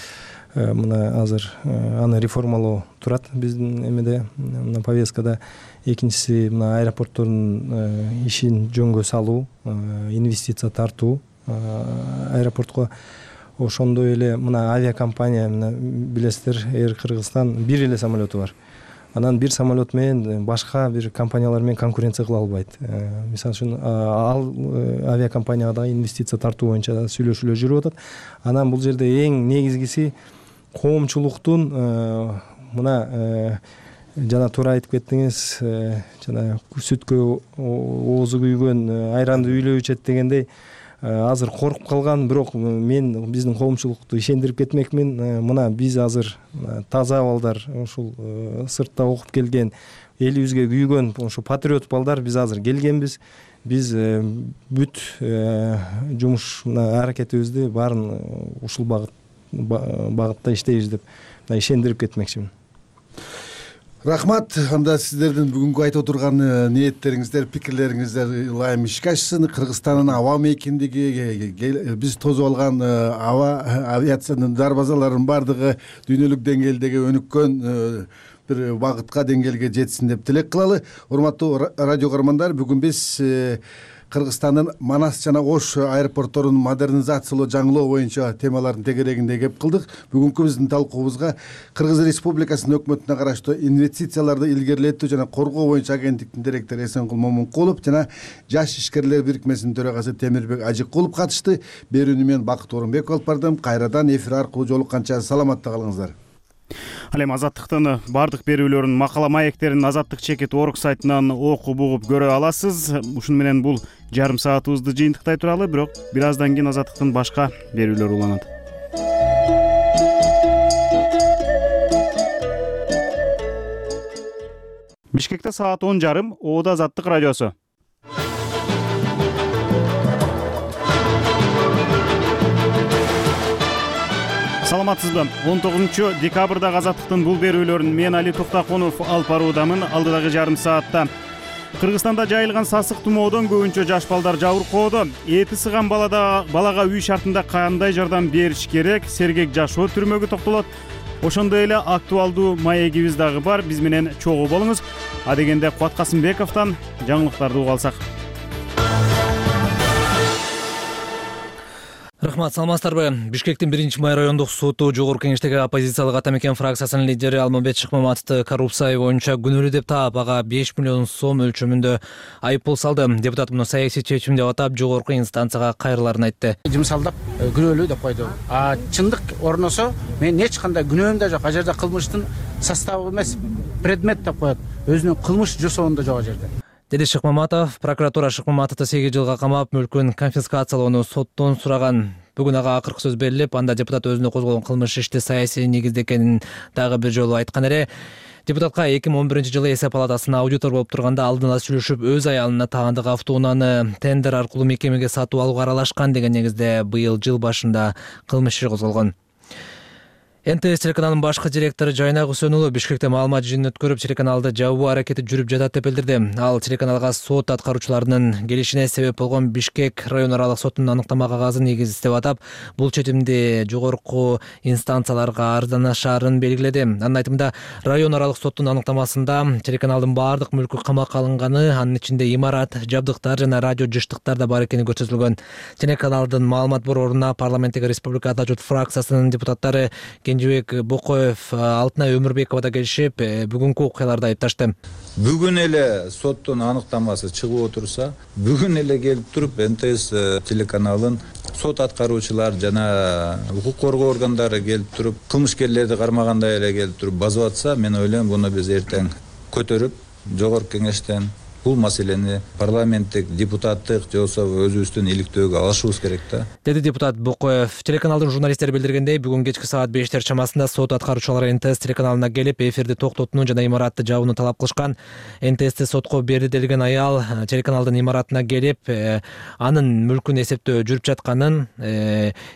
мына азыр аны реформалоо турат биздин эмеде, мына повесткада. Экинчиси мына аэропорттордун ишин жөнгө салуу, инвестиция тартуу аэропортко. Ошондой эле мына авиакомпания, мына билесиздер, Air Кыргызстан бир эле самолету бар. Анан бир самолет менен башка бир компаниялар менен конкуренция кыла албайт. Мисалы үчүн ал авиакомпанияга да инвестиция тартуу боюнча сүйлөшүүлөр жүрүп атат. Анан бул жерде эң негизгиси коомчулуктун мына жана туура айтып кеттиңиз, жана сүткө оозу күйгөн айранды үйлөө ичет дегендей, азыр коркуп калган, бирок мен биздин коомчулукту ишендирип кетмекмин. Мына биз азыр таза балдар, ушул сыртта окуп келген, элибизге күйгөн ошо патриот балдар биз азыр келгенбиз. Биз бүт жумуш аракетибизди баарын ушул багытта иштейбиз деп ишендирип кетмекчимин. Рахмат. Анда сиздердин бүгүнкү айтып отурган ниеттериңиздер, пикирлериңиздер ылайым ишке ашсын. Кыргызстандын аба мейкиндиги, биз тосуп алган авиациянын дарбазаларынын баардыгы дүйнөлүк деңгээлдеги өнүккөн бир багытка, деңгээлге жетсин деп тилек кылалы. Урматтуу радио көрөрмандар, бүгүн биз Кыргызстандын Манас жана Ош аэропортторун модернизациялоо, жаңылоо боюнча темалардын тегерегинде кеп кылдык. Бүгүнкү биздин талкуубузга Кыргыз Республикасынын өкмөтүнө караштуу инвестицияларды илгерилетүү жана коргоо боюнча агенттиктин директору Эсенкул Момункулов жана Жаш ишкерлер бирикмесинин төрагасы Темирбек Ажыкулов катышты. Берүүнү мен Бакыт Орунбеков алып бардым. Кайрадан эфир аркылуу жолукканча саламатта калыңыздар. Ал эми Азаттыктын бардык берүүлөрүн, макала маектерин Азаттык чекит орг сайтынан окуп угуп көрө аласыз. Ушуну менен бул жарым саатыбызды жыйынтыктай туралы, бирок бир аздан кийин Азаттыктын башка берүүлөрү уланат. Бишкекте саат 10:30, Оода Азаттык радиосу. Саламатсызбы? 19 декабрда Азаттыктын бул берүүлөрүн мен Али Токтаконов алып баруудамын. Алдыдагы жарым саатта Кыргызстанда жайылган сасык тумоодон көбүнчө жаш балдар жабыркоодо. Эти сыган балага үй шартында кандай жардам бериш керек? Сергек жашоо түрмөгү токтолот. Ошондой эле актуалдуу маегибиз дагы бар. Биз менен чогуу болуңуз. Адегенде Кубат Касымбековдон жаңылыктарды угуп алсак. Рахмат, саламатсыздарбы? Бишкектин 1-май райондук соту жогорку кеңештеги оппозициялык ата мекен фракциясынын лидери Алмамбет Шыкмаматовду коррупция боюнча күнөөлүү деп таап, ага 5 миллион сом өлчөмүндө айыппул салды. Депутат муну саясий чечим деп атап, жогорку инстанцияга кайрыларын айтты. Жымсалдап күнөөлүү деп койду. Чындык орносо, мен эч кандай күнөөм да жок. А жерде кылмыштын составы эмес, предмет деп коет. Өзүнүн кылмыш жасоонда жок жерде. Деди Шыкмаматов. Прокуратура Шыкмаматовду 8 жылга камап, мүлкүн конфискациялоону соттон сураган. Бүгүн ага акыркы сөз берилип, анда депутат өзүнө козголгон кылмыш ишти саясий негизде экенин дагы бир жолу айткан эле. Депутатка 2011-жылы эсеп палатасына аудитор болуп турганда алдын ала сүйлөшүп, өз аялына таандык автоунааны тендер аркылуу мекемеге сатып алууга аралашкан деген негизде быйыл жыл башында кылмыш иши козголгон. НТС телеканалынын башкы директору Жайнак Үсөнұлы Бишкекте маалымат жыйынын өткөрүп, телеканалды жабуу аракети жүрүп жатат деп билдирди. Ал телеканалга сот аткаруучуларынын келишине себеп болгон Бишкек район аралык сотунун аныктама кагазын негиздеп атап, бул чечимди жогорку инстанцияларга арызданышаарын белгиледи. Анын айтымында, район аралык соттун аныктамасында телеканалдын баардык мүлкү камакка алынганы, анын ичинде имарат, жабдыктар жана радио жыштыктар да бар экени көрсөтүлгөн. Телеканалдын маалымат борборуна парламенттеги Республика Ата журт фракциясынын депутаттары Кенжебек Бокоев, Алтынай Өмүрбекова да келишип, бүгүнкү окуяларды айыпташты. Бүгүн эле соттун аныктамасы чыгып отурса, бүгүн эле келип туруп НТС телеканалын сот аткаруучулар жана укук коргоо органдары келип туруп, кылмышкерлерди кармагандай эле келип туруп базып атса, мен ойлойм, буну биз эртең көтөрүп, жогорку кеңештен бул маселени парламенттик, депутаттык же болбосо өзүбүздүн иликтөөгө алышыбыз керек да. Деди депутат Бокоев. Телеканалдын журналисттери билдиргендей, бүгүн кечки саат 5 чамасында сот аткаруучулары НТС телеканалына келип, эфирди токтотууну жана имаратты жабууну талап кылышкан. НТСти сотко берди делген аял телеканалдын имаратына келип, анын мүлкүн эсептөө жүрүп жатканын,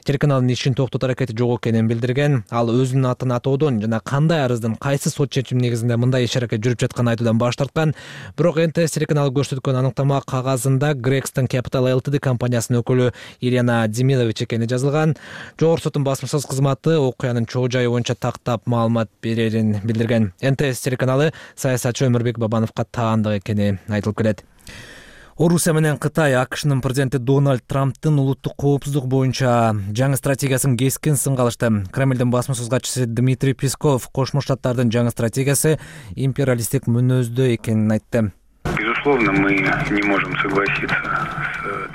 телеканалдын ишин токтотуу аракети жок экенин билдирген. Ал өзүнүн атын атоодон жана кандай арыздын кайсы сот чечими негизинде мындай иш аракет жүрүп жатканын айтуудан баш тарткан. Бирок НТС телеканалы көрсөткөн аныктама кагазында Грекстон Capital Ltd компаниясынын өкүлү Ирина Демилович экени жазылган. Жогорку соттун басмасөз кызматы окуянын чоо жайы боюнча тактап маалымат берерин билдирген. НТС телеканалы саясатчы Өмүрбек Бабановго таандык экени айтылып келет. Орусия менен Кытай АКШнын президенти Дональд Трамптын улуттук коопсуздук боюнча жаңы стратегиясын кескин сынга алышты. Кремлдин басмасөз катчысы Дмитрий Песков Кошмо Штаттардын жаңы стратегиясы империалисттик мүнөздө экенин айтты. Безусловно, мы не можем согласиться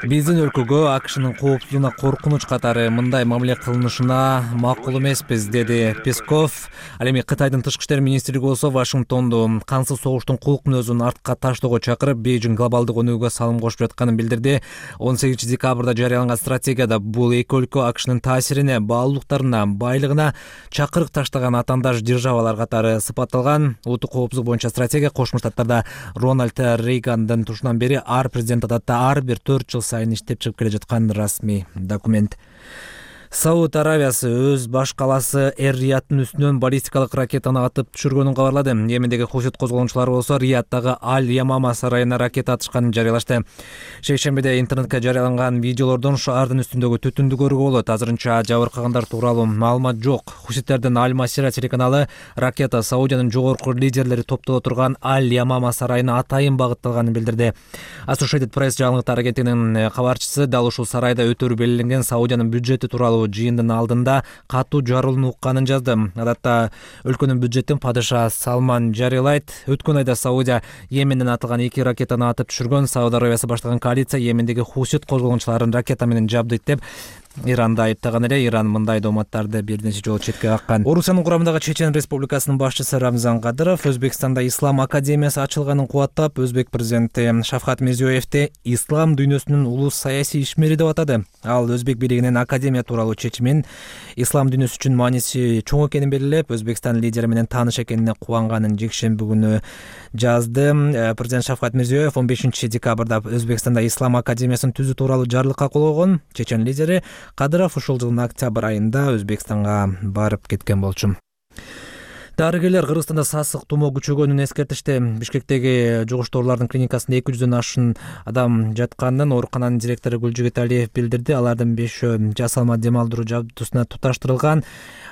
с... Биздин өлкөгө АКШнын коопсуздугуна коркунуч катары мындай мамиле кылынышына макул эмеспиз, деди Песков. Ал эми Кытайдын тышкы иштер министрлиги болсо Вашингтонду кансыз согуштун кулк мүнөзүн артка таштоого чакырып, Бейжиң глобалдык өнүгүүгө салым кошуп жатканын билдирди. 18 декабрда жарыяланган стратегияда бул эки өлкө АКШнын таасирине, баалуулуктарына, байлыгына чакырык таштаган атаандаш державалар катары сыпатталган. Улуттук коопсуздук боюнча стратегия Кошмо Штаттарда Рональд Рейгандын тушунан бери ар президент адатта ар бир 4 жыл сайын иштеп чыгып келе жаткан расмий документ. Сауд Аравиясы өз баш калаасы Эр-Рияттын үстүнөн баллистикалык ракетаны атып түшүргөнүн кабарлады. Йемендеги Хусит козголгончулары болсо Рияттагы Аль-Ямама сарайына ракета атышканын жарыялашты. Шейшембиде интернетке жарыяланган видеолордон шаардын үстүндөгү түтүндү көрүүгө болот. Азырынча жабыркагандар тууралуу маалымат жок. Хуситтердин Аль-Масира телеканалы ракета Саудиянын жогорку лидерлери топтоло турган Аль-Ямама сарайына атайын багытталганын билдирди. Associated Press жаңылыктар агенттигинин кабарчысы дал ушул сарайда өтөрү белгиленген Саудиянын бюджети тууралуу жыйындын алдында катуу жарылууну укканын жазды. Адатта өлкөнүн бюджетин падыша Салман жарыялайт. Өткөн айда Саудия Йеменден атылган 2 ракетаны атып түшүргөн. Сауд Аравиясы баштаган коалиция Йемендеги Хусит козголгончуларын ракета менен жабдыйт деп Иранды айыптаган эле. Иран мындай дооматтарды бир нече жолу четке каккан. Орусиянын курамындагы Чечен Республикасынын башчысы Рамзан Кадыров Өзбекстанда Ислам академиясы ачылганын кубаттап, Өзбек президенти Шавкат Мирзиёевди ислам дүйнөсүнүн улус саясий ишмери деп атады. Ал Өзбек бийлигинин академия тууралуу чечимин ислам дүйнөсү үчүн мааниси чоң экенин белгилеп, Өзбекстан лидери менен тааныш экенине кубанганын жекшемби күнү жазды. Президент Шавкат Мирзиёев 15 декабрда Өзбекстанда Ислам академиясын түзүү тууралуу жарлыкка кол койгон. Чечен лидери Кадыров ушул жылдын октябрь айында Өзбекстанга барып кеткен болчу. Дарыгерлер Кыргызстанда сасык тумоо күчөгөнүн эскертишти. Бишкектеги жугуштуулардын клиникасында 200дөн ашын адам жатканын оорукананын директору Гүлжигит Алиев билдирди. Алардын 5 жасалма дем алдыруу жабдуусуна туташтырылган.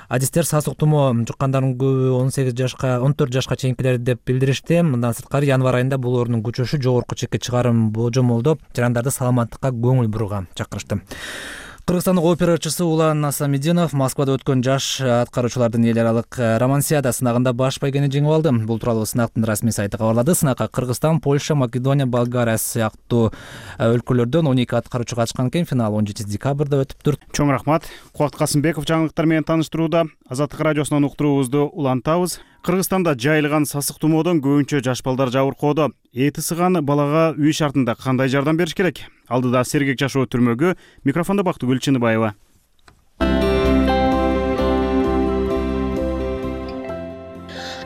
Адистер сасык тумоо жуккандардын көбү 14 жашка чейинкилер деп билдиришти. Мындан сырткары январь айында бул оорунун күчөшү жогорку чекке чыгарын божомолдоп, жарандарды саламаттыкка көңүл бурууга чакырышты. Кыргызстандык опера ырчысы Улан Асамидинов Москвада өткөн жаш аткаруучулардын эл аралык романсиада сынагында баш байгени жеңип алды. Бул тууралуу сынактын расмий сайты кабарлады. Сынакка Кыргызстан, Польша, Македония, Болгария сыяктуу өлкөлөрдөн 12 аткаруучу катышкан экен. Финал 17 декабрда өтүптүр. Чоң рахмат. Кубат Касымбеков жаңылыктар менен таныштырууда. Азаттык радиосунан уктуруубузду улантабыз. Кыргызстанда жайылган сасык тумоодон көбүнчө жаш балдар жабыркоодо. Эти сыган балага үй шартында кандай жардам бериш керек? Алдыда сергек жашоо түрмөгү. Микрофондо Бактыгүл Чыныбаева.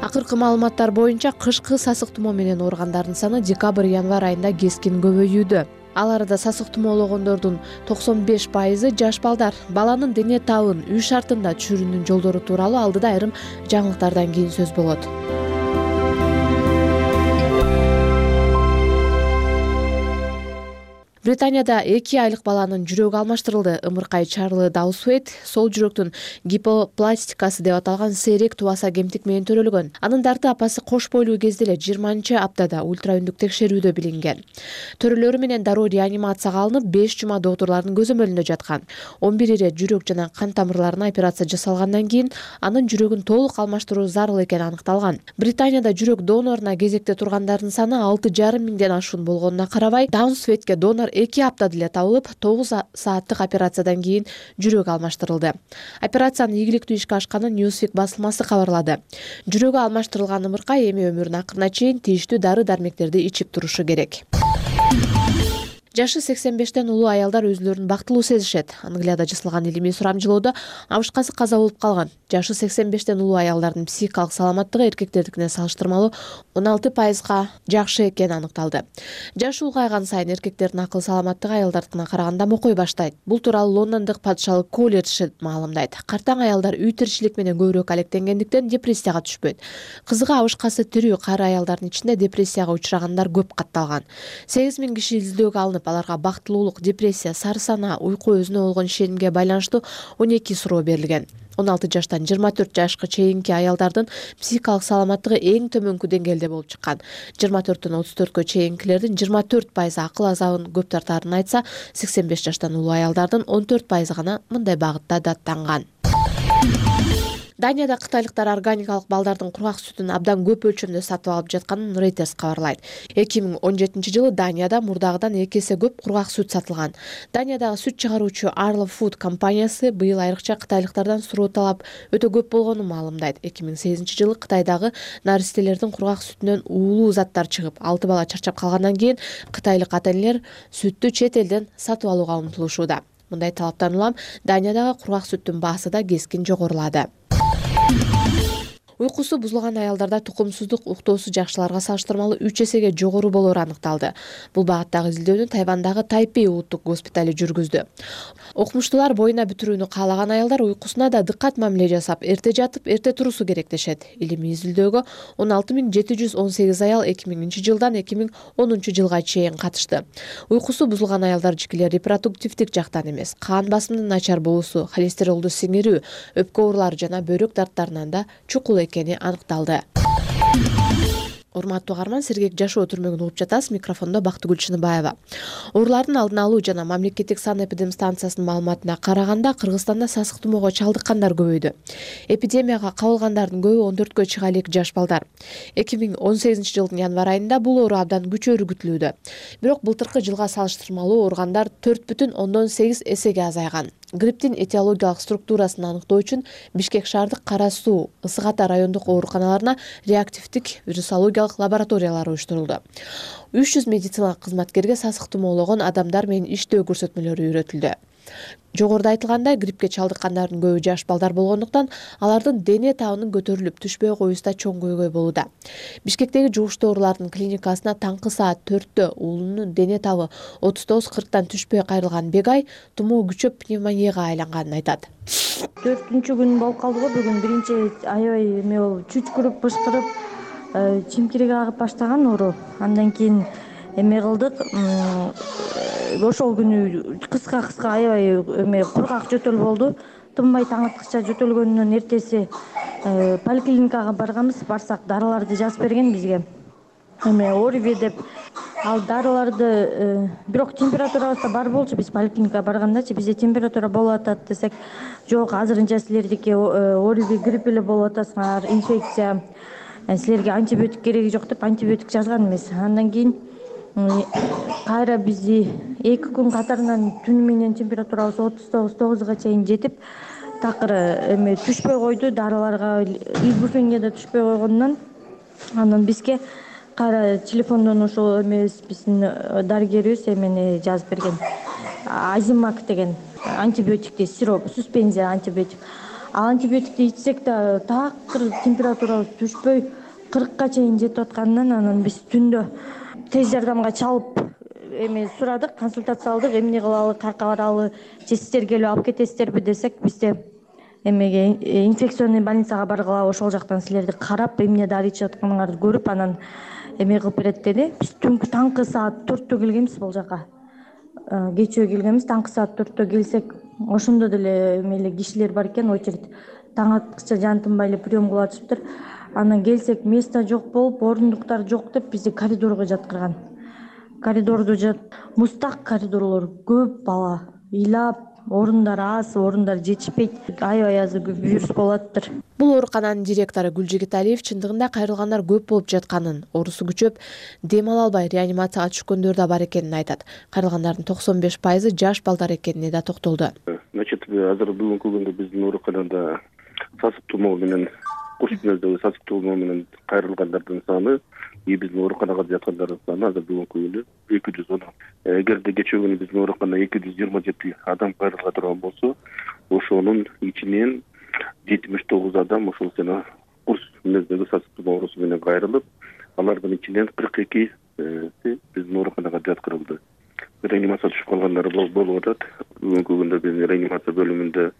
Акыркы маалыматтар боюнча кышкы сасык тумоо менен ооругандардын саны декабрь-январь айында кескин көбөйүүдө. Ал арада сасык тумоологондордун 95% жаш балдар. Баланын дене табын үй шартында түшүрүүнүн жолдору тууралуу алдыда айрым жаңылыктардан кийин сөз болот. Британияда 2 айлык баланын жүрөгү алмаштырылды. Ымыркай Чарли Даусвейт сол жүрөктүн гипопластикасы деп аталган сейрек тубаса кемтик менен төрөлгөн. Анын дарты апасы кош бойлуу кезде эле 20-аптада ультраүндүк текшерүүдө билинген. Төрөлөрү менен дароо реанимацияга алынып 5 жума доктурлардын көзөмөлүндө жаткан. 11 ирет жүрөк жана кан тамырларына операция жасалгандан кийин анын жүрөгүн толук алмаштыруу зарыл экени аныкталган. Британияда жүрөк доноруна кезекте тургандардын саны 6,5 миңден ашуун болгонуна карабай, Даусвейтке донор 2 аптада эле табылып, 9 сааттык операциядан кийин жүрөк алмаштырылды. Операциянын ийгиликтүү ишке ашканын Newsweek басылмасы кабарлады. Жүрөгү алмаштырылган ымыркай эми өмүрүнүн акырына чейин тийиштүү дары-дармектерди ичип турушу керек. Жашы 85тен улуу аялдар өзүлөрүн бактылуу сезишет. Англияда жасалган илимий сурамжылоодо абышкасы каза болуп калган. Жашы 85тен улуу аялдардын психикалык саламаттыгы эркектердикине салыштырмалуу 16%га жакшы экени аныкталды. Жашы улгайган сайын эркектердин акыл саламаттыгы аялдардыкына караганда мокой баштайт. Бул тууралуу Лондондук падышалык колледж маалымдайт. Картаң аялдар үй тиричилик менен көбүрөөк алектенгендиктен депрессияга түшпөйт. Кызыгы абышкасы тирүү кары аялдардын ичинде депрессияга учрагандар көп катталган. 8000 киши изилдөөгө алынып, аларга бактылуулук, депрессия, сары сана, уйку өзүнө болгон ишенимге байланыштуу 12 суроо берилген. 16 жаштан 24 жашка чейинки аялдардын психикалык саламаттыгы эң төмөнкү деңгээлде болуп чыккан. 24төн 34кө чейинкилердин 24% акыл азабын көп тартаарын айтса, 85 жаштан улуу аялдардын 14% гана мындай багытта даттанган. Данияда кытайлыктар органикалык балдардын кургак сүтүн абдан көп өлчөмдө сатып алып жатканын Reuters кабарлайт. 2017-жылы Данияда мурдагыдан 2 эсе көп кургак сүт сатылган. Даниядагы сүт чыгаруучу Arla Food компаниясы быйыл айрыкча кытайлыктардан суроо талап өтө көп болгонун маалымдайт. 2008-жылы Кытайдагы наристелердин кургак сүтүнөн уулуу заттар чыгып, 6 бала чарчап калгандан кийин кытайлык ата-энелер сүттү чет элден сатып алууга умтулушууда. Мындай талаптан улам Даниядагы кургак сүттүн баасы да кескин жогорулады. Уйкусу бузулган аялдарда тукумсуздук уктоосу жакшыларга салыштырмалуу 3 эсеге жогору болору аныкталды. Бул багыттагы изилдөөнү Тайвандагы Тайпей улуттук госпитали жүргүздү. Окумуштуулар боюна бүтүрүүнү каалаган аялдар уйкусуна да дыккат мамиле жасап, эрте жатып, эрте турусу керек дешет. Илимий изилдөөгө 16718 аял 2000-жылдан 2010-жылга чейин катышты. Уйкусу бузулган аялдар жикелер репродуктивдик жактан эмес, кан басымынын начар болуусу, холестеролду сиңирүү, өпкө оорулары жана бөйрөк дарттарынан да чукул экени аныкталды. Урматтуу угарман, сергек жашоо түрмөгүн угуп жатасыз. Микрофондо Бактыгүл Чыныбаева. Оорулардын алдын алуу жана мамлекеттик санэпидемстанциясынын маалыматына караганда, Кыргызстанда сасык тумоого чалдыккандар көбөйдү. Эпидемияга кабылгандардын көбү 14кө чыга элек жаш балдар. 2018-жылдын январь айында бул оору абдан күчөөрү күтүлүүдө. Бирок былтыркы жылга салыштырмалуу ооругандар 4,8 эсеге азайган. Грипптин этиологиялык структурасын аныктоо үчүн Бишкек шаардык Кара Суу, Ысык Ата райондук ооруканаларына реактивдик вирусологиялык лабораториялар уюштурулду. 300 медициналык кызматкерге сасык тумоологон адамдар менен иштөө көрсөтмөлөрү үйрөтүлдү. Жогоруда айтылгандай, гриппке чалдыккандардын көбү жаш балдар болгондуктан алардын дене табынын көтөрүлүп, түшпөй коюусу да чоң көйгөй болууда. Бишкектеги жугуштуу оорулардын клиникасына таңкы саат 4-тө уулунун дене табы 39-40тан түшпөй кайрылган Бегай тумоо күчөп пневмонияга айланганын айтат. 4-күн болуп калды го бүгүн. Биринчи аябай эме болуп, чүчкүрүп, бышкырып, чимкириги агып баштаган оору. Андан кийин эме кылдык. Ошол күнү кыска аябай эме кургак жөтөл болду. Тынбай таң аткыча жөтөлгөндөн эртеси поликлиникага барганбыз. Барсак дарыларды жазып берген бизге. Эме Орви деп. Ал дарыларды бирок температурабыз да бар болчу. Биз поликлиникага баргандачы бизде температура болуп атат десек, жок, азырынча силердики Орви грипп эле болуп атасыңар, инфекция. Силерге антибиотик кереги жок деп антибиотик жазган эмес. Андан кийин кайра бизди 2 күн катарынан түнү менен температурабыз 39-9га чейин жетип, такыр эме түшпөй койду. Дарыларга ибуфенге да түшпөй койгондон анан бизге кайра телефондон ошол эмес биздин дарыгерибиз эмени жазып берген. Азимак деген антибиотикти, сироп, суспензия антибиотик. Ал антибиотикти ичсек да такыр температурабыз түшпөй 40ка чейин жетип атканынан анан биз түндө тез жардамга чалып эме сурадык, консультация алдык, эмне кылалы, каяка баралы, же сиздер келип алып кетесиздерби десек, бизде эмеге инфекционный больницага баргыла, ошол жактан силерди карап, эмне дары ичип атканыңарды көрүп, анан эме кылып берет деди. Биз түнкү таңкы саат 4-тө келгенбиз бул жака. Кечөө келгенбиз, таңкы саат 4-тө келсек, ошондо деле эмеле кишилер бар экен, очередь. Таң аткыча жан тынбай эле прием кылып атышыптыр. Анан келсек, место жок болуп, орундуктар жок деп бизди коридорго жаткырган. Коридордо мустак коридорлор, көп бала, ыйлап, орундар аз, орундар жетишпейт. Аябай аз вирус болуп атыптыр. Бул оорукананын директору Гүлжигит Алиев чындыгында кайрылгандар көп болуп жатканын, оорусу күчөп, дем ала албай реанимацияга түшкөндөр да бар экенин айтат. Кайрылгандардын 95% жаш балдар экенине да токтолду. Значит, азыр бүгүнкү күндө биздин ооруканада сасык тумоо менен курчмөздөгү сасык тумоо менен кайрылгандардын саны биздин ооруканага жаткандардын саны азыр бүгүнкү күндө 210. Эгерде кечээ күнү биздин ооруканада 227 адам кайрыла турган болсо, ошонун ичинен 79 адам ошол жана курс мүнөздөгү сасык тумоо оорусу менен кайрылып, алардын ичинен 42 биздин ооруканага жаткырылды. Реанимацияга түшүп калгандар болуп атат. Бүгүнкү күндө биздин реанимация бөлүмүндө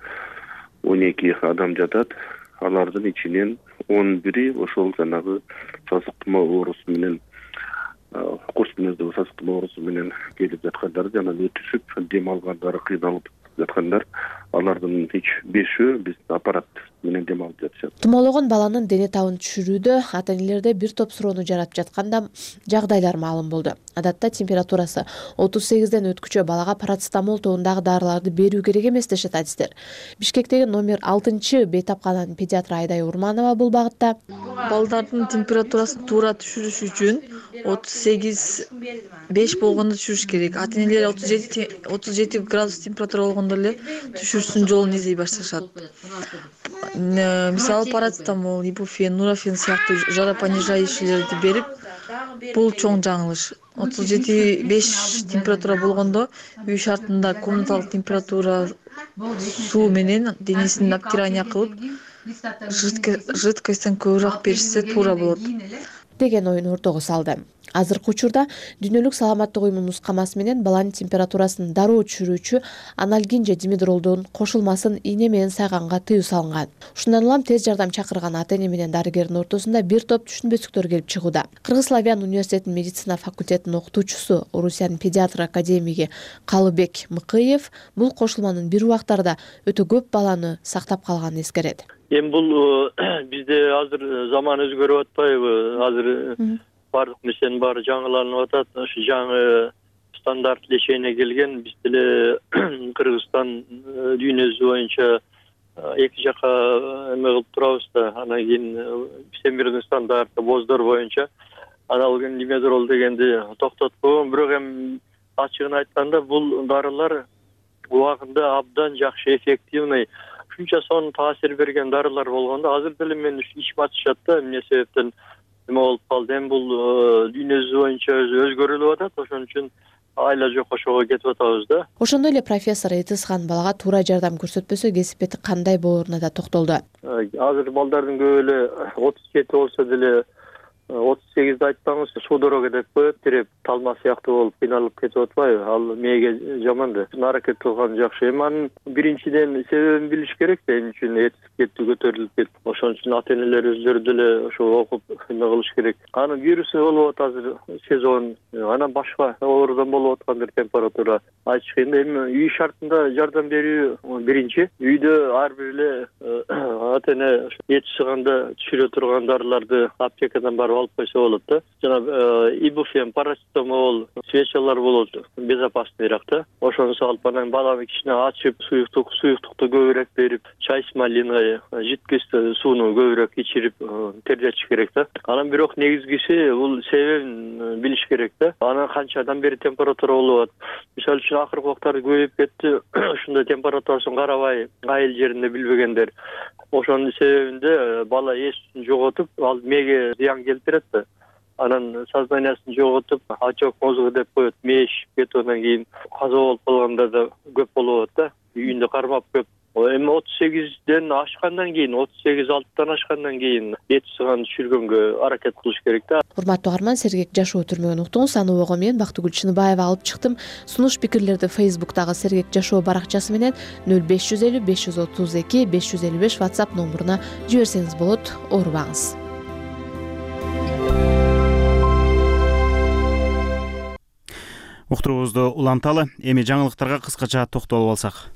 12 адам жатат. Алардын ичинен 11 ошол жанагы сасык тумоо оорусу менен курс мүнөздөгү сасык тумоо оорусу менен келип жаткандар жана өтүшүп дем алгандары, кыйналып жаткандар. Алардын 5-өө биз аппарат менен дем алып жатышат. Тумоологон баланын дене табын түшүрүүдө ата-энелерде бир топ суроону жаратып жатканда жагдайлар маалым болду. Адатта температурасы 38ден өткүчө балага парацетамол тобундагы дарыларды берүү керек эмес дешет адистер. Бишкектеги номер 6-бейтапкананын педиатры Айдай Урманова бул багытта балдардын температурасын туура түшүрүш үчүн 38,5 болгондо түшүрүш керек. Ата-энелер 37 градус температура болгондо эле түшүрүүсүнүн жолун издей башташат. Мисалы парацетамол, ибуфен, нурофен сыяктуу жаропонижающийлерди берип, бул чоң жаңылыш. 37,5 температура болгондо үй шартында комнаталык температура суу менен денесин обтирание кылып, жидкостьтен көбүрөөк беришсе туура болот деген оюн ортого салды. Азыркы учурда Дүйнөлүк саламаттык уюмунун нускамасы менен баланын температурасын дароо түшүрүүчү анальгин же димедролдун кошулмасын ийне менен сайганга тыюу салынган. Ушундан улам тез жардам чакырган ата-эне менен дарыгердин ортосунда бир топ түшүнбөстүктөр келип чыгууда. Кыргыз Славян университетинин медицина факультетинин окутуучусу, Орусиянын педиатр академиги Калыбек Мыкыев бул кошулманын бир убактарда өтө көп баланы сактап калганын эскерет. Эми бул бизде азыр заман өзгөрүп атпайбы? Азыр баардык нерсенин баары жаңыланып атат. Ошо жаңы стандарт лечение келген. Биз деле Кыргызстан дүйнөсү боюнча эки жака эме кылып турабыз да. Анан кийин всемирный стандарт боздор боюнча аналген димедрол дегенди токтоткон. Бирок эми ачыгын айтканда бул дарылар убагында абдан жакшы, эффективный, ушунча сонун таасир берген дарылар болгондо азыр деле мен ичим ачышат да, эмне себептен эме болуп калды. Эми бул дүйнөсү боюнча өзгөрүлүп атат, ошон үчүн айла жок ошого кетип атабыз да. Ошондой эле профессор Этисхан балага туура жардам көрсөтпөсө кесипети кандай болоруна да токтолду. Азыр балдардын көбү эле 37 болсо деле 38 айтсаңыз судорога деп коет, тиреп талма сыяктуу болуп кыйналып кетип атпайбы? Ал мээге жаман да. Аракет кылган жакшы. Эми анын биринчиден себебин билиш керек да, эмне үчүн этиктетти көтөрүлүп кетти. Ошон үчүн ата-энелер өзлөрү деле ошо окуп эме кылыш керек. Анын вирусы болуп атат азыр сезон, анан башка оорудан болуп аткандыр температура айтыш кыйын да. Эми үй шартында жардам берүү биринчи. Үйдө ар бир эле ата-эне эти сыганда түшүрө турган дарыларды аптекадан барып алып койсо болот да. Жана ибуфен, парацетамол, свечалар болот, безопасныйраак да. Ошону салып анан баланы кичине ачып, суюктукту көбүрөөк берип, чай с малиной, жидкость сууну көбүрөөк ичирип тердетиш керек да. Анан бирок негизгиси бул себебин билиш керек да. Анан канчадан бери температура болуп атат. Мисалы үчүн акыркы убактарда көбөйүп кетти. Ушундай температурасын карабай, айыл жеринде билбегендер. Ошонун себебинде бала эсин жоготуп, ал мээге зыян келтирет да. Анан сознаниясын жоготуп, очок мозгу деп коет, мээ шишип кетип, анан кийин каза болуп калгандар да көп болуп атат да. Үйүндө кармап көп. Эми 38ден ашкандан кийин, 38-6 ашкандан кийин эти сыган түшүргөнгө аракет кылыш керек да. Урматтуу каарман, Сергек Жашоо түрмөгүн уктуңуз. Аны ого мен Бактыгүл Чыныбаева алып чыктым. Сунуш пикирлерди Facebook'тагы Сергек Жашоо баракчасы менен 0550 532 555 WhatsApp номуруна жиберсеңиз болот. Оорубаңыз. Уктуруубузду уланталы. Эми жаңылыктарга кыскача токтолуп алсак.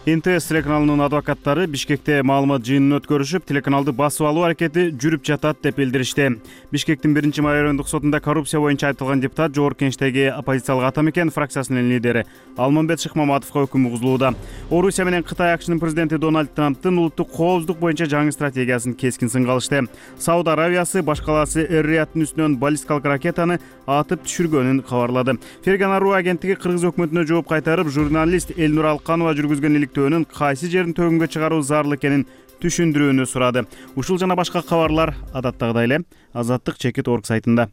НТС телеканалынын адвокаттары Бишкекте маалымат жыйынын өткөрүшүп, телеканалды басып алуу аракети жүрүп жатат деп билдиришти. Бишкектин 1-май райондук сотунда коррупция боюнча айтылган депутат Жогорку Кеңештеги оппозициялык атамекен фракциясынын лидери Алмамбет Шыкмаматовго өкүм угузулууда. Орусия менен Кытай АКШнын президенти Дональд Трамптын улуттук коопсуздук боюнча жаңы стратегиясын кескин сынга алышты. Сауд Аравиясы башкаласы Эр-Рияттын үстүнөн баллистикалык ракетаны атып түшүргөнүн кабарлады. Fergana.ru агенттиги Кыргыз өкмөтүнө жооп кайтарып, журналист Элнур Алканова жүргүзгөн иликтөөнүн кайсы жерин төгүнгө чыгаруу зарыл экенин түшүндүрүүнү сурады. Ушул жана башка кабарлар адаттагыдай эле Азаттык чекит орг сайтында.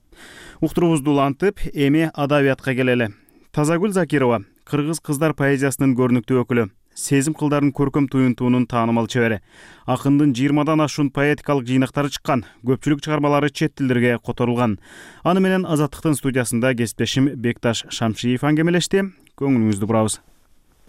Уктуруубузду улантып, эми адабиятка келели. Тазагүл Закирова, кыргыз кыздар поэзиясынын көрүнүктүү өкүлү, сезим кылдарын көркөм туюнтуунун таанымал чебери. Акындын 20дан ашуун поэтикалык жыйнактары чыккан, көпчүлүк чыгармалары чет тилдерге которулган. Аны менен Азаттыктын студиясында кесиптешим Бекташ Шамшиев аңгемелешти. Көңүлүңүздү бурабыз.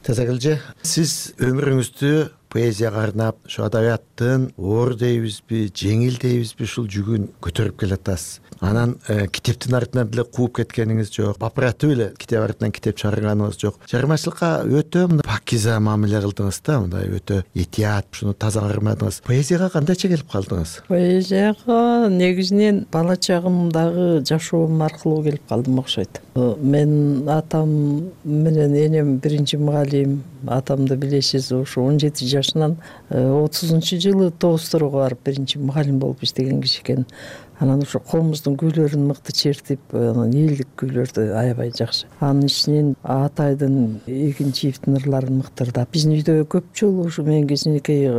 Тазагүлжи, сиз өмүрүңүздү поэзияга арнап, ушу адабияттын оор дейбизби, жеңил дейбизби, ушул жүгүн көтөрүп келатасыз. Анан китептин артынан деле кууп кеткениңиз жок, бапыратып эле китеп артынан китеп чыгарганыңыз жок. Чыгармачылыкка өтө пакиза мамиле кылдыңыз да, мындай өтө этият, ушуну таза кармадыңыз. Поэзияга кандайча келип калдыңыз? Поэзияга негизинен бала чагымдагы жашоом аркылуу келип калдым окшойт. Мен атам менен энем биринчи мугалим, атамды билесиз, ошо 17 жашынан 30-жылы Тоосторго барып биринчи мугалим болуп иштеген киши экен. Анан ошо колумуздун күүлөрүн мыкты чертип, элдик күүлөрдү аябай жакшы. Анын ичинен Атайдын Эгинчиевдин ырларын мыктырдап. Биздин үйдө көп жолу ушу мен кичинекей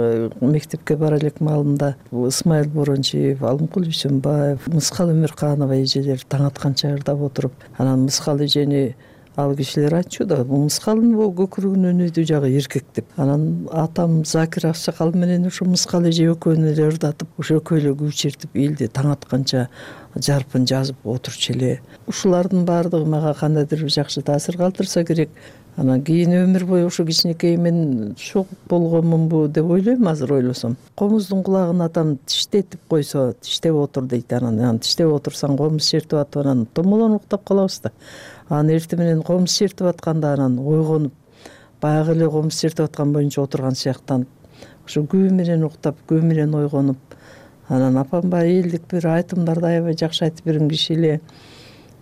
мектепке бара элек маалында Ысмайыл Борончиев, Алымкул Бейсенбаев, Мыскал Өмүрканова эжелер таң атканча ырдап отуруп, анан Мыскал эжени ал кишилер айтчу да, мыскалдын көкүрөгүн өнөйдү жагы эркек деп. Анан атам Закир Аксакал менен ошо мыскал эже экөөнү эле ырдатып, ошо экөө эле күү чертип элди таң атканча жарпын жазып отурчу эле. Ушулардын баардыгы мага кандайдыр жакшы таасир калтырса керек. Анан кийин өмүр бою ошо кичинекей мен шок болгонмунбу деп ойлойм азыр ойлосом. Комуздун кулагын атам тиштетип койсо, тиштеп отур дейт. Анан тиштеп отурсаң комуз чертип атып, анан томолонуп уктап калабыз да. Анан эртең менен комуз чертип атканда анан ойгонуп, баягы эле комуз чертип аткан боюнча отурган сыяктанып, ошо күү менен уктап, күү менен ойгонуп, анан апам баягы элдик бир айтымдарды аябай жакшы айтып берген киши эле.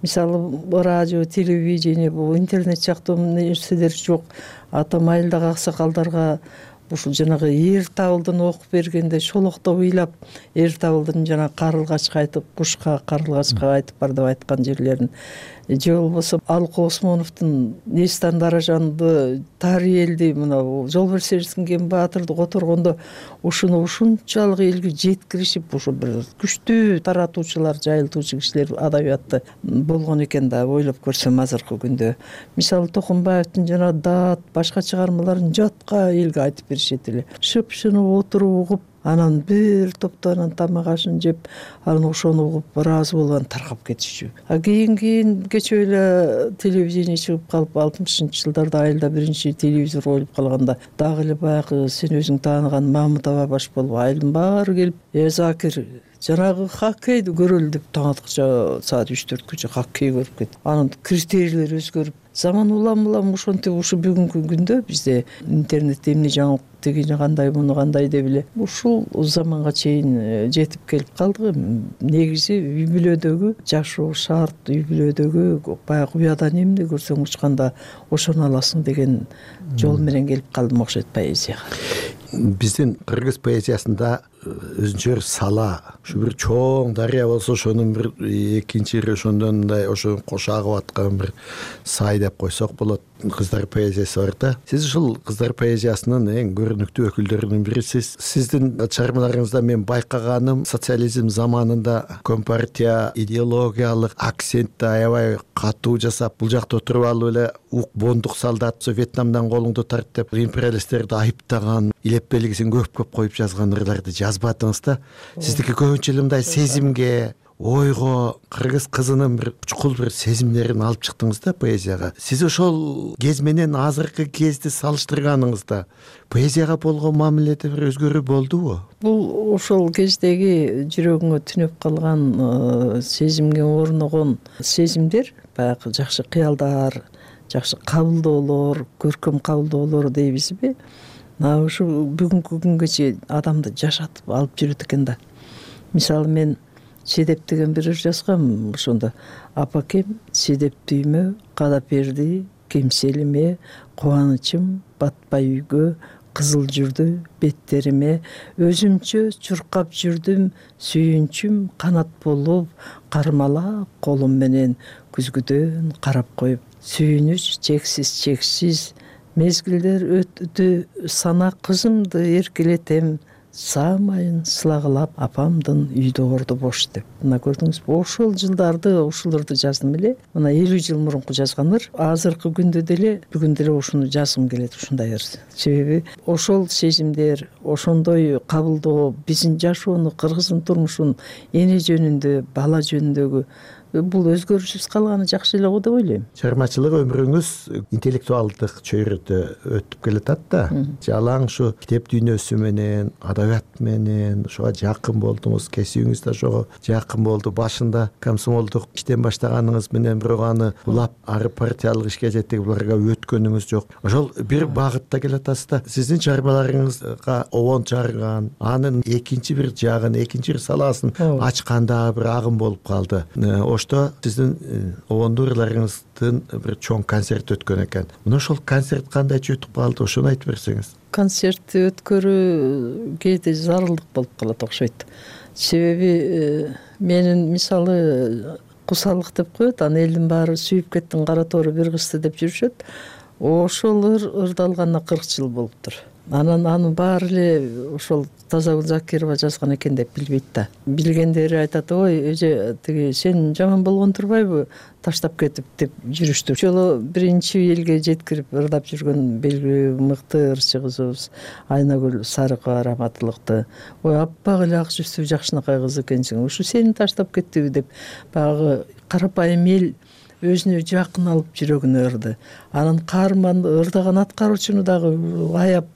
Мисалы радио, телевидение, бул интернет сыяктуу нерселер жок. Атам айылдагы аксакалдарга ушул жанагы эр табылдын окуп бергенде шолоктоп ыйлап, эр табылдын жана карылгачка айтып, кушка карылгачка айтып бар деп айткан жерлерин, же болбосо Алко Осмоновдун Нестан Даражанды, Тариэлди, мына жол берсеңиз кем баатырды которгондо ушуну ушунчалык элге жеткиришип, ошо бир күчтүү таратуучулар, жайылтуучу кишилер адабиятты болгон экен да, ойлоп көрсөм азыркы күндө. Мисалы Токумбаевдин жана Даат башка чыгармаларын жатка элге айтып беришет эле. Шып-шынып отуруп угуп, анан бир топто анан тамак ашын жеп, анан ошону угуп ыраазы болуп анан таркап кетишчү. Кийин кечээ эле телевидение чыгып калып, 60-жылдарда айылда биринчи телевизор коюлуп калганда дагы эле баягы сен өзүң тааныган Мамытова баш болуп, айылдын баары келип, Закир жанагы хоккейди көрөлү деп таң атканча саат 3-4күчө хоккей көрүп кетип, анан критерийлер өзгөрүп, заман улам ошентип ушу бүгүнкү күндө бизде интернет эмне жаңылык, тигини кандай, муну кандай деп эле ушул заманга чейин жетип келип калдык. Негизи үй бүлөдөгү жашоо шарт, үй бүлөдөгү баягы уядан эмне көрсөң учканда ошону аласың деген жол менен келип калдым окшойт поэзияга. Биздин кыргыз поэзиясында өзүнчө бир сала, ушу бир чоң дарыя болсо ошонун бир экинчи ошондон мындай ошо кош агып аткан бир сай деп койсок болот. Кыздар поэзиясы бар да. Сиз ушул кыздар поэзиясынын эң көрүнүктүү өкүлдөрүнүн бирисиз. Сиздин чыгармаларыңызда мен байкаганым, социализм заманында компартия идеологиялык акцентти аябай катуу жасап, бул жакта отуруп алып эле бондук солдат Вьетнамдан колуңду тарт деп империалисттерди айыптаган, илеп белгисин көп коюп жазган ырларды жазбадыңыз да. Сиздики көбүнчө эле мындай сезимге, ойго, кыргыз кызынын бир чукул бир сезимдерин алып чыктыңыз да поэзияга. Сиз ошол кез менен азыркы кезди салыштырганыңызда поэзияга болгон мамиледе бир өзгөрүү болдубу? Бул ошол кездеги жүрөгүңө түнөп калган, сезимге орногон сезимдер, баягы жакшы кыялдар, жакшы кабылдоолор, көркөм кабылдоолор дейбизби? Ушу бүгүнкү күнгө адамды жашатып алып жүрөт экен да. Мисалы мен Седеп деген бир ыр жазгам, ошондо апакем седеп дүймө кадап берди кемселиме, кубанычым батпай үйгө, кызыл жүрдү беттериме, өзүмчө чуркап жүрдүм, сүйүнчүм канат болуп, кармалап колум менен күзгүдөн карап коюп, сүйүнүч чексиз, мезгилдер өтү санак кызымды эркелетем, саамайын сылагылап апамдын үйдө орду бош деп. Мына көрдүңүзбү, ошол жылдарды, ушуларды жаздым эле. Мына 50 жыл мурунку жазгандар, азыркы күндө деле, бүгүн деле ушуну жазгым келет, ушундай ыр. Себеби ошол сезимдер, ошондой кабылдоо биздин жашоону, кыргыздын турмушун, эне жөнүндө, бала жөнүндөгү бул өзгөрүшсүз калганы жакшы эле го деп ойлойм. Чыгармачылык өмүрүңүз интеллектуалдык чөйрөдө өтүп келатат да. Жалаң ушу китеп дүйнөсү менен, адабият менен ошого жакын болдуңуз, кесибиңиз да ошого жакын болду. Башында комсомолдук иштен баштаганыңыз менен бирок аны улап, ары партиялык ишке жетип буларга өткөнүңүз жок. Ошол бир багытта келатасыз да. Сиздин чыгармаларыңызга обон чарган, анын экинчи бир жагын, экинчи бир саласын ачканда бир агым болуп калды. Ошто сиздин обондуу ырларыңыздын бир чоң концерт өткөн экен. Мына ошол концерт кандай өтүп калды, ошону айтып берсеңиз. Концерт өткөрүү кээде зарылдык болуп калат окшойт. Себеби менин мисалы кусалык деп коет, аны элдин баары сүйүп кеттин кара тоору бир кызды деп жүрүшөт. Ошол ырдалганына 40 жыл болуптур. анан анын баары эле ошол Тазагүл Закирова жазган экен деп билбейт да. Билгендери айтат, ой эже тиги сен жаман болгон турбайбы таштап кетип деп жүрүштү. Ошол биринчи элге жеткирип ырдап жүргөн белгилүү мыкты ырчы кызыбыз Айнагүл Сарыкова раматылыкты. Ой аппак эле ак жүзтүү жакшынакай кыз экенсиң, ушу сени таштап кеттиби деп баягы карапайым эл өзүнө жакын алып жүрөгүнө ырды. Анан каарманды ырдаган аткаруучуну дагы аяп,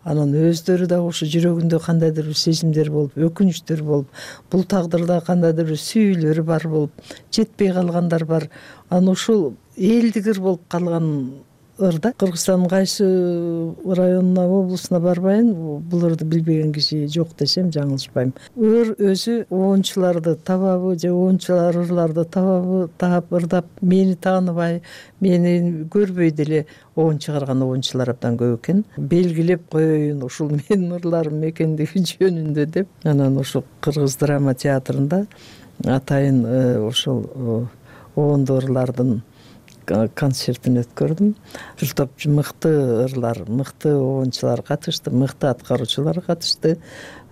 анан өздөрү дагы ушу жүрөгүндө кандайдыр бир сезимдер болуп, өкүнүчтөр болуп, бул тагдырда кандайдыр бир сүйүүлөр бар болуп, жетпей калгандар бар. Анан ушул элдигир болуп калган ырда Кыргызстандын кайсы районуна, облусуна барбайын, бул ырды билбеген киши жок десем жаңылышпайм. Ыр өзү оончуларды табабы же оончулар ырларды табабы, таап ырдап, мени тааныбай, мени көрбөй деле оон чыгарган оончулар абдан көп экен. Белгилеп коеюн ушул менин ырларым экендиги жөнүндө деп, анан ушул Кыргыз драма театрында атайын ошол оондуу ырлардын концертин өткөрдүм. Бир топ мыкты ырлар, мыкты оончулар катышты, мыкты аткаруучулар катышты.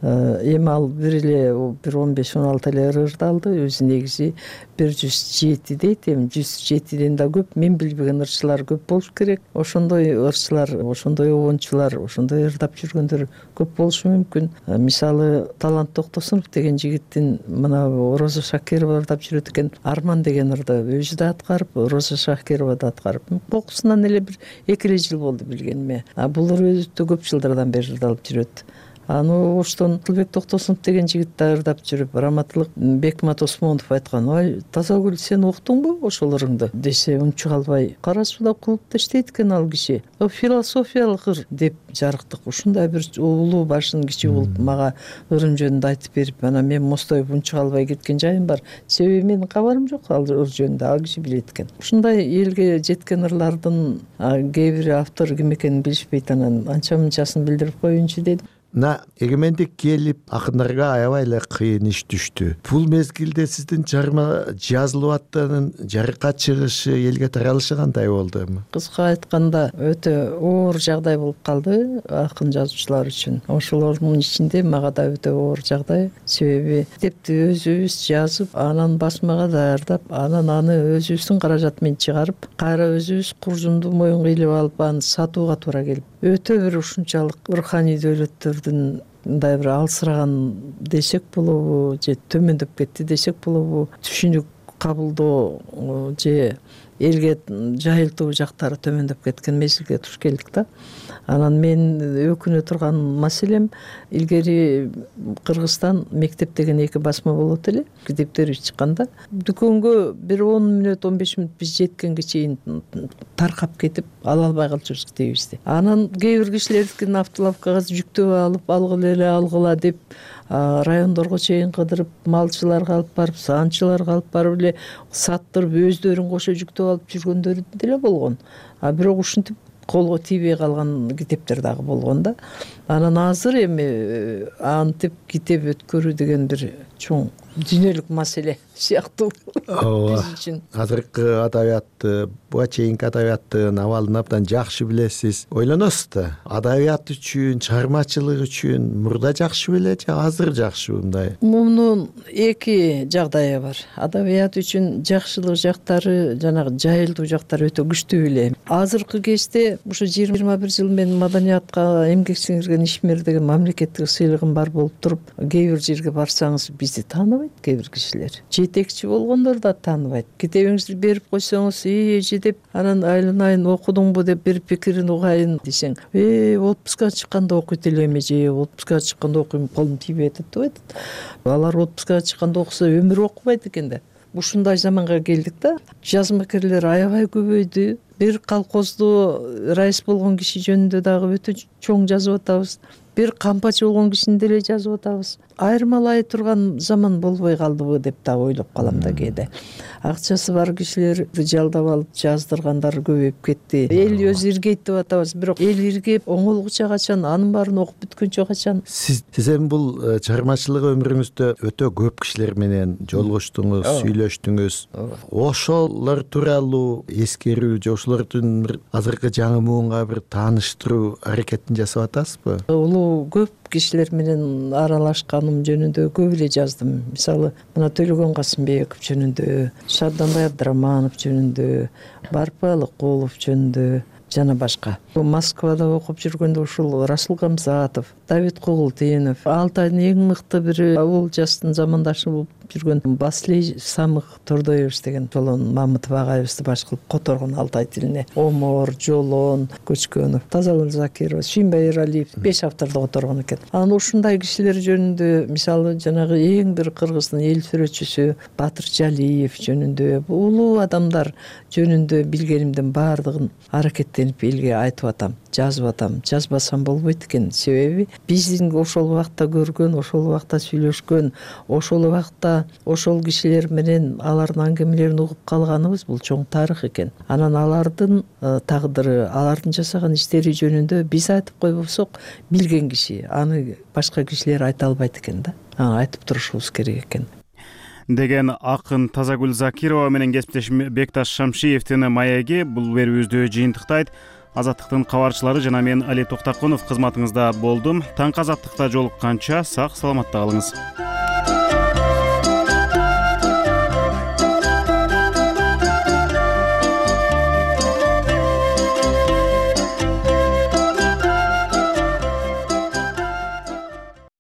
Эми ал бир 15-16 эле ыр ырдалды. Өзү негизи 107 дейт. Эми 107ден да көп. Мен билбеген ырчылар көп болуш керек. Ошондой ырчылар, ошондой оончулар, ошондой ырдап жүргөндөр көп болушу мүмкүн. Мисалы Талант Токтосунов деген жигиттин мына Роза Шакирова ырдап жүрөт экен. Арман деген ырды өзү да аткарып, Роза Шакирова да аткарып. Кокусунан эле бир 2 жыл болду билгениме. Бул ыр өтө көп жылдардан бери ырдалып жүрөт. Аны оштон Тылбек Токтосунов деген жигит да ырдап жүрүп, раматылык Бекмат Осмонов айткан, ой Тазагүл сен уктуңбу ошол ырыңды десе, унчук албай кара сууда клубда иштейт экен ал киши. Философиялык ыр деп жарыктык. Ушундай бир улуу башын кичи болуп мага ырым жөнүндө айтып берип, анан мен мостоюп унчук албай кеткен жайым бар. Себеби менин кабарым жок ал ыр жөнүндө, ал киши билет экен. Ушундай элге жеткен ырлардын кээ бир автор ким экенин билишпейт, анан анча мынчасын билдирип коеюнчу дедим. Мына эгемендик келип акындарга аябай эле кыйын иш түштү. Бул мезгилде сиздин чыгарма жазылып аттыгынын жарыкка чыгышы, элге таралышы кандай болду? Кыска айтканда өтө оор жагдай болуп калды акын жазуучулар үчүн. Ошолордун ичинде мага да өтө оор жагдай. Себеби китепти өзүбүз жазып, анан басмага даярдап, анан аны өзүбүздүн каражат менен чыгарып, кайра өзүбүз куржунду моюнга илип алып, аны сатууга туура келип, өтө бир ушунчалык руханий дөөлөттөрдүн мындай бир алсыраган десек болобу, же төмөндөп кетти десек болобу, түшүнүк кабылдоо же элге жайылтуу жактары төмөндөп кеткен мезгилге туш келдик да. Анан мен өкүнө турган маселем, илгери Кыргызстан мектеп деген 2 басма болот эле. Китептери чыкканда дүкөнгө бир 10 мүнөт, 15 мүнөт биз жеткенге чейин таркап кетип ала албай калчубуз китебибизди. Анан кээ бир кишилердикин автолавкага жүктөп алып, алгыла деп райондорго чейин кыдырып, малчыларга алып барып, саанчыларга алып барып эле саттырып, өздөрүн кошо жүктөп алып жүргөндөр деле болгон. Бирок ушинтип колго тийбей калган китептер дагы болгон да. Анан азыр эми антип китеп өткөрүү деген бир чоң дүйнөлүк маселе сыяктуу биз үчүн. Азыркы адабиятты, буга чейинки адабияттын абалын абдан жакшы билесиз. Ойлоносуз да, адабият үчүн, чыгармачылык үчүн мурда жакшы беле же азыр жакшыбы мындай? Мунун 2 жагдайы бар. Адабият үчүн жакшылык жактары, жанагы жайылтуу жактары өтө күчтүү эле. Азыркы кезде ушу 21 жыл мен маданиятка эмгек сиңирген ишмер деген мамлекеттик сыйлыгым бар болуп туруп, кээ бир жерге барсаңыз бизди тааныбайт кээ бир кишилер. Жетекчи болгондор да тааныбайт. Китебиңизди берип койсоңуз, эже деп, анан айланайын окудуңбу деп бир пикирин угайын десең, отпуска чыкканда окуйт элем эже, отпуска чыкканда окуйм, колум тийбей атат деп айтат. Алар отпуска чыкканда окуса өмүр окубайт экен да. Ушундай заманга келдик да. Жазмакерлер аябай көбөйдү. Бир колхозду раис болгон киши жөнүндө дагы өтө чоң жазып атабыз. бир кампачы болгон кишини деле жазып атабыз. Айырмалай турган заман болбой калдыбы деп да ойлоп калам да кээде. Акчасы бар кишилерди жалдап алып жаздыргандар көбөйүп кетти. Эл өзү иргейт деп атабыз, бирок эл иргеп оңолгуча качан, анын баарын окуп бүткөнчө качан? Сиз эми бул чыгармачылык өмүрүңүздө өтө көп кишилер менен жолугуштуңуз, сүйлөштүңүз. Ошолор тууралуу эскерүү же ошолордун бир азыркы жаңы муунга бир тааныштыруу аракетин жасап атасызбы? Улуу көп кишилер менен аралашканым жөнүндө көп эле жаздым. Мисалы, мына Төлөгөн Касымбеков жөнүндө, Шарданбай Абдыраманов жөнүндө, Барпы Алыкулов жөнүндө жана башка. Москвада окуп жүргөндө ушул Расул Камзатов, Давид Кугултинов, Алтайдын эң мыкты бири бул жастын замандашы болуп жүргөн Баслей Самых Тордоевич деген Жолон Мамытов агайыбызды баш кылып которгон Алтай тилине. Омор, Жолон, Көчкөнов, Тазагүл Закирова, Шимбай Эралиев 5 авторду которгон экен. Анан ушундай кишилер жөнүндө, мисалы, жанагы эң бир кыргыздын эл сүрөтчүсү Батыр Жалиев жөнүндө, улуу адамдар жөнүндө билгенимдин баардыгын аракеттенип элге айтып атам, жазып атам. Жазбасам болбойт экен. Себеби биздин ошол убакта көргөн, ошол убакта сүйлөшкөн, ошол убакта ошол кишилер менен алардын аңгемелерин угуп калганыбыз бул чоң тарых экен. Анан алардын тагдыры, алардын жасаган иштери жөнүндө биз айтып койбосок, билген киши аны башка кишилер айта албайт экен да. Айтып турушубуз керек экен деген акын Тазагүл Закирова менен кесиптешим Бекташ Шамшиевдин маеги бул берүүбүздү жыйынтыктайт. Азаттыктын кабарчылары жана мен Али Токтакунов кызматыңызда болдум. Таңкы Азаттыкта жолукканча сак саламатта калыңыз.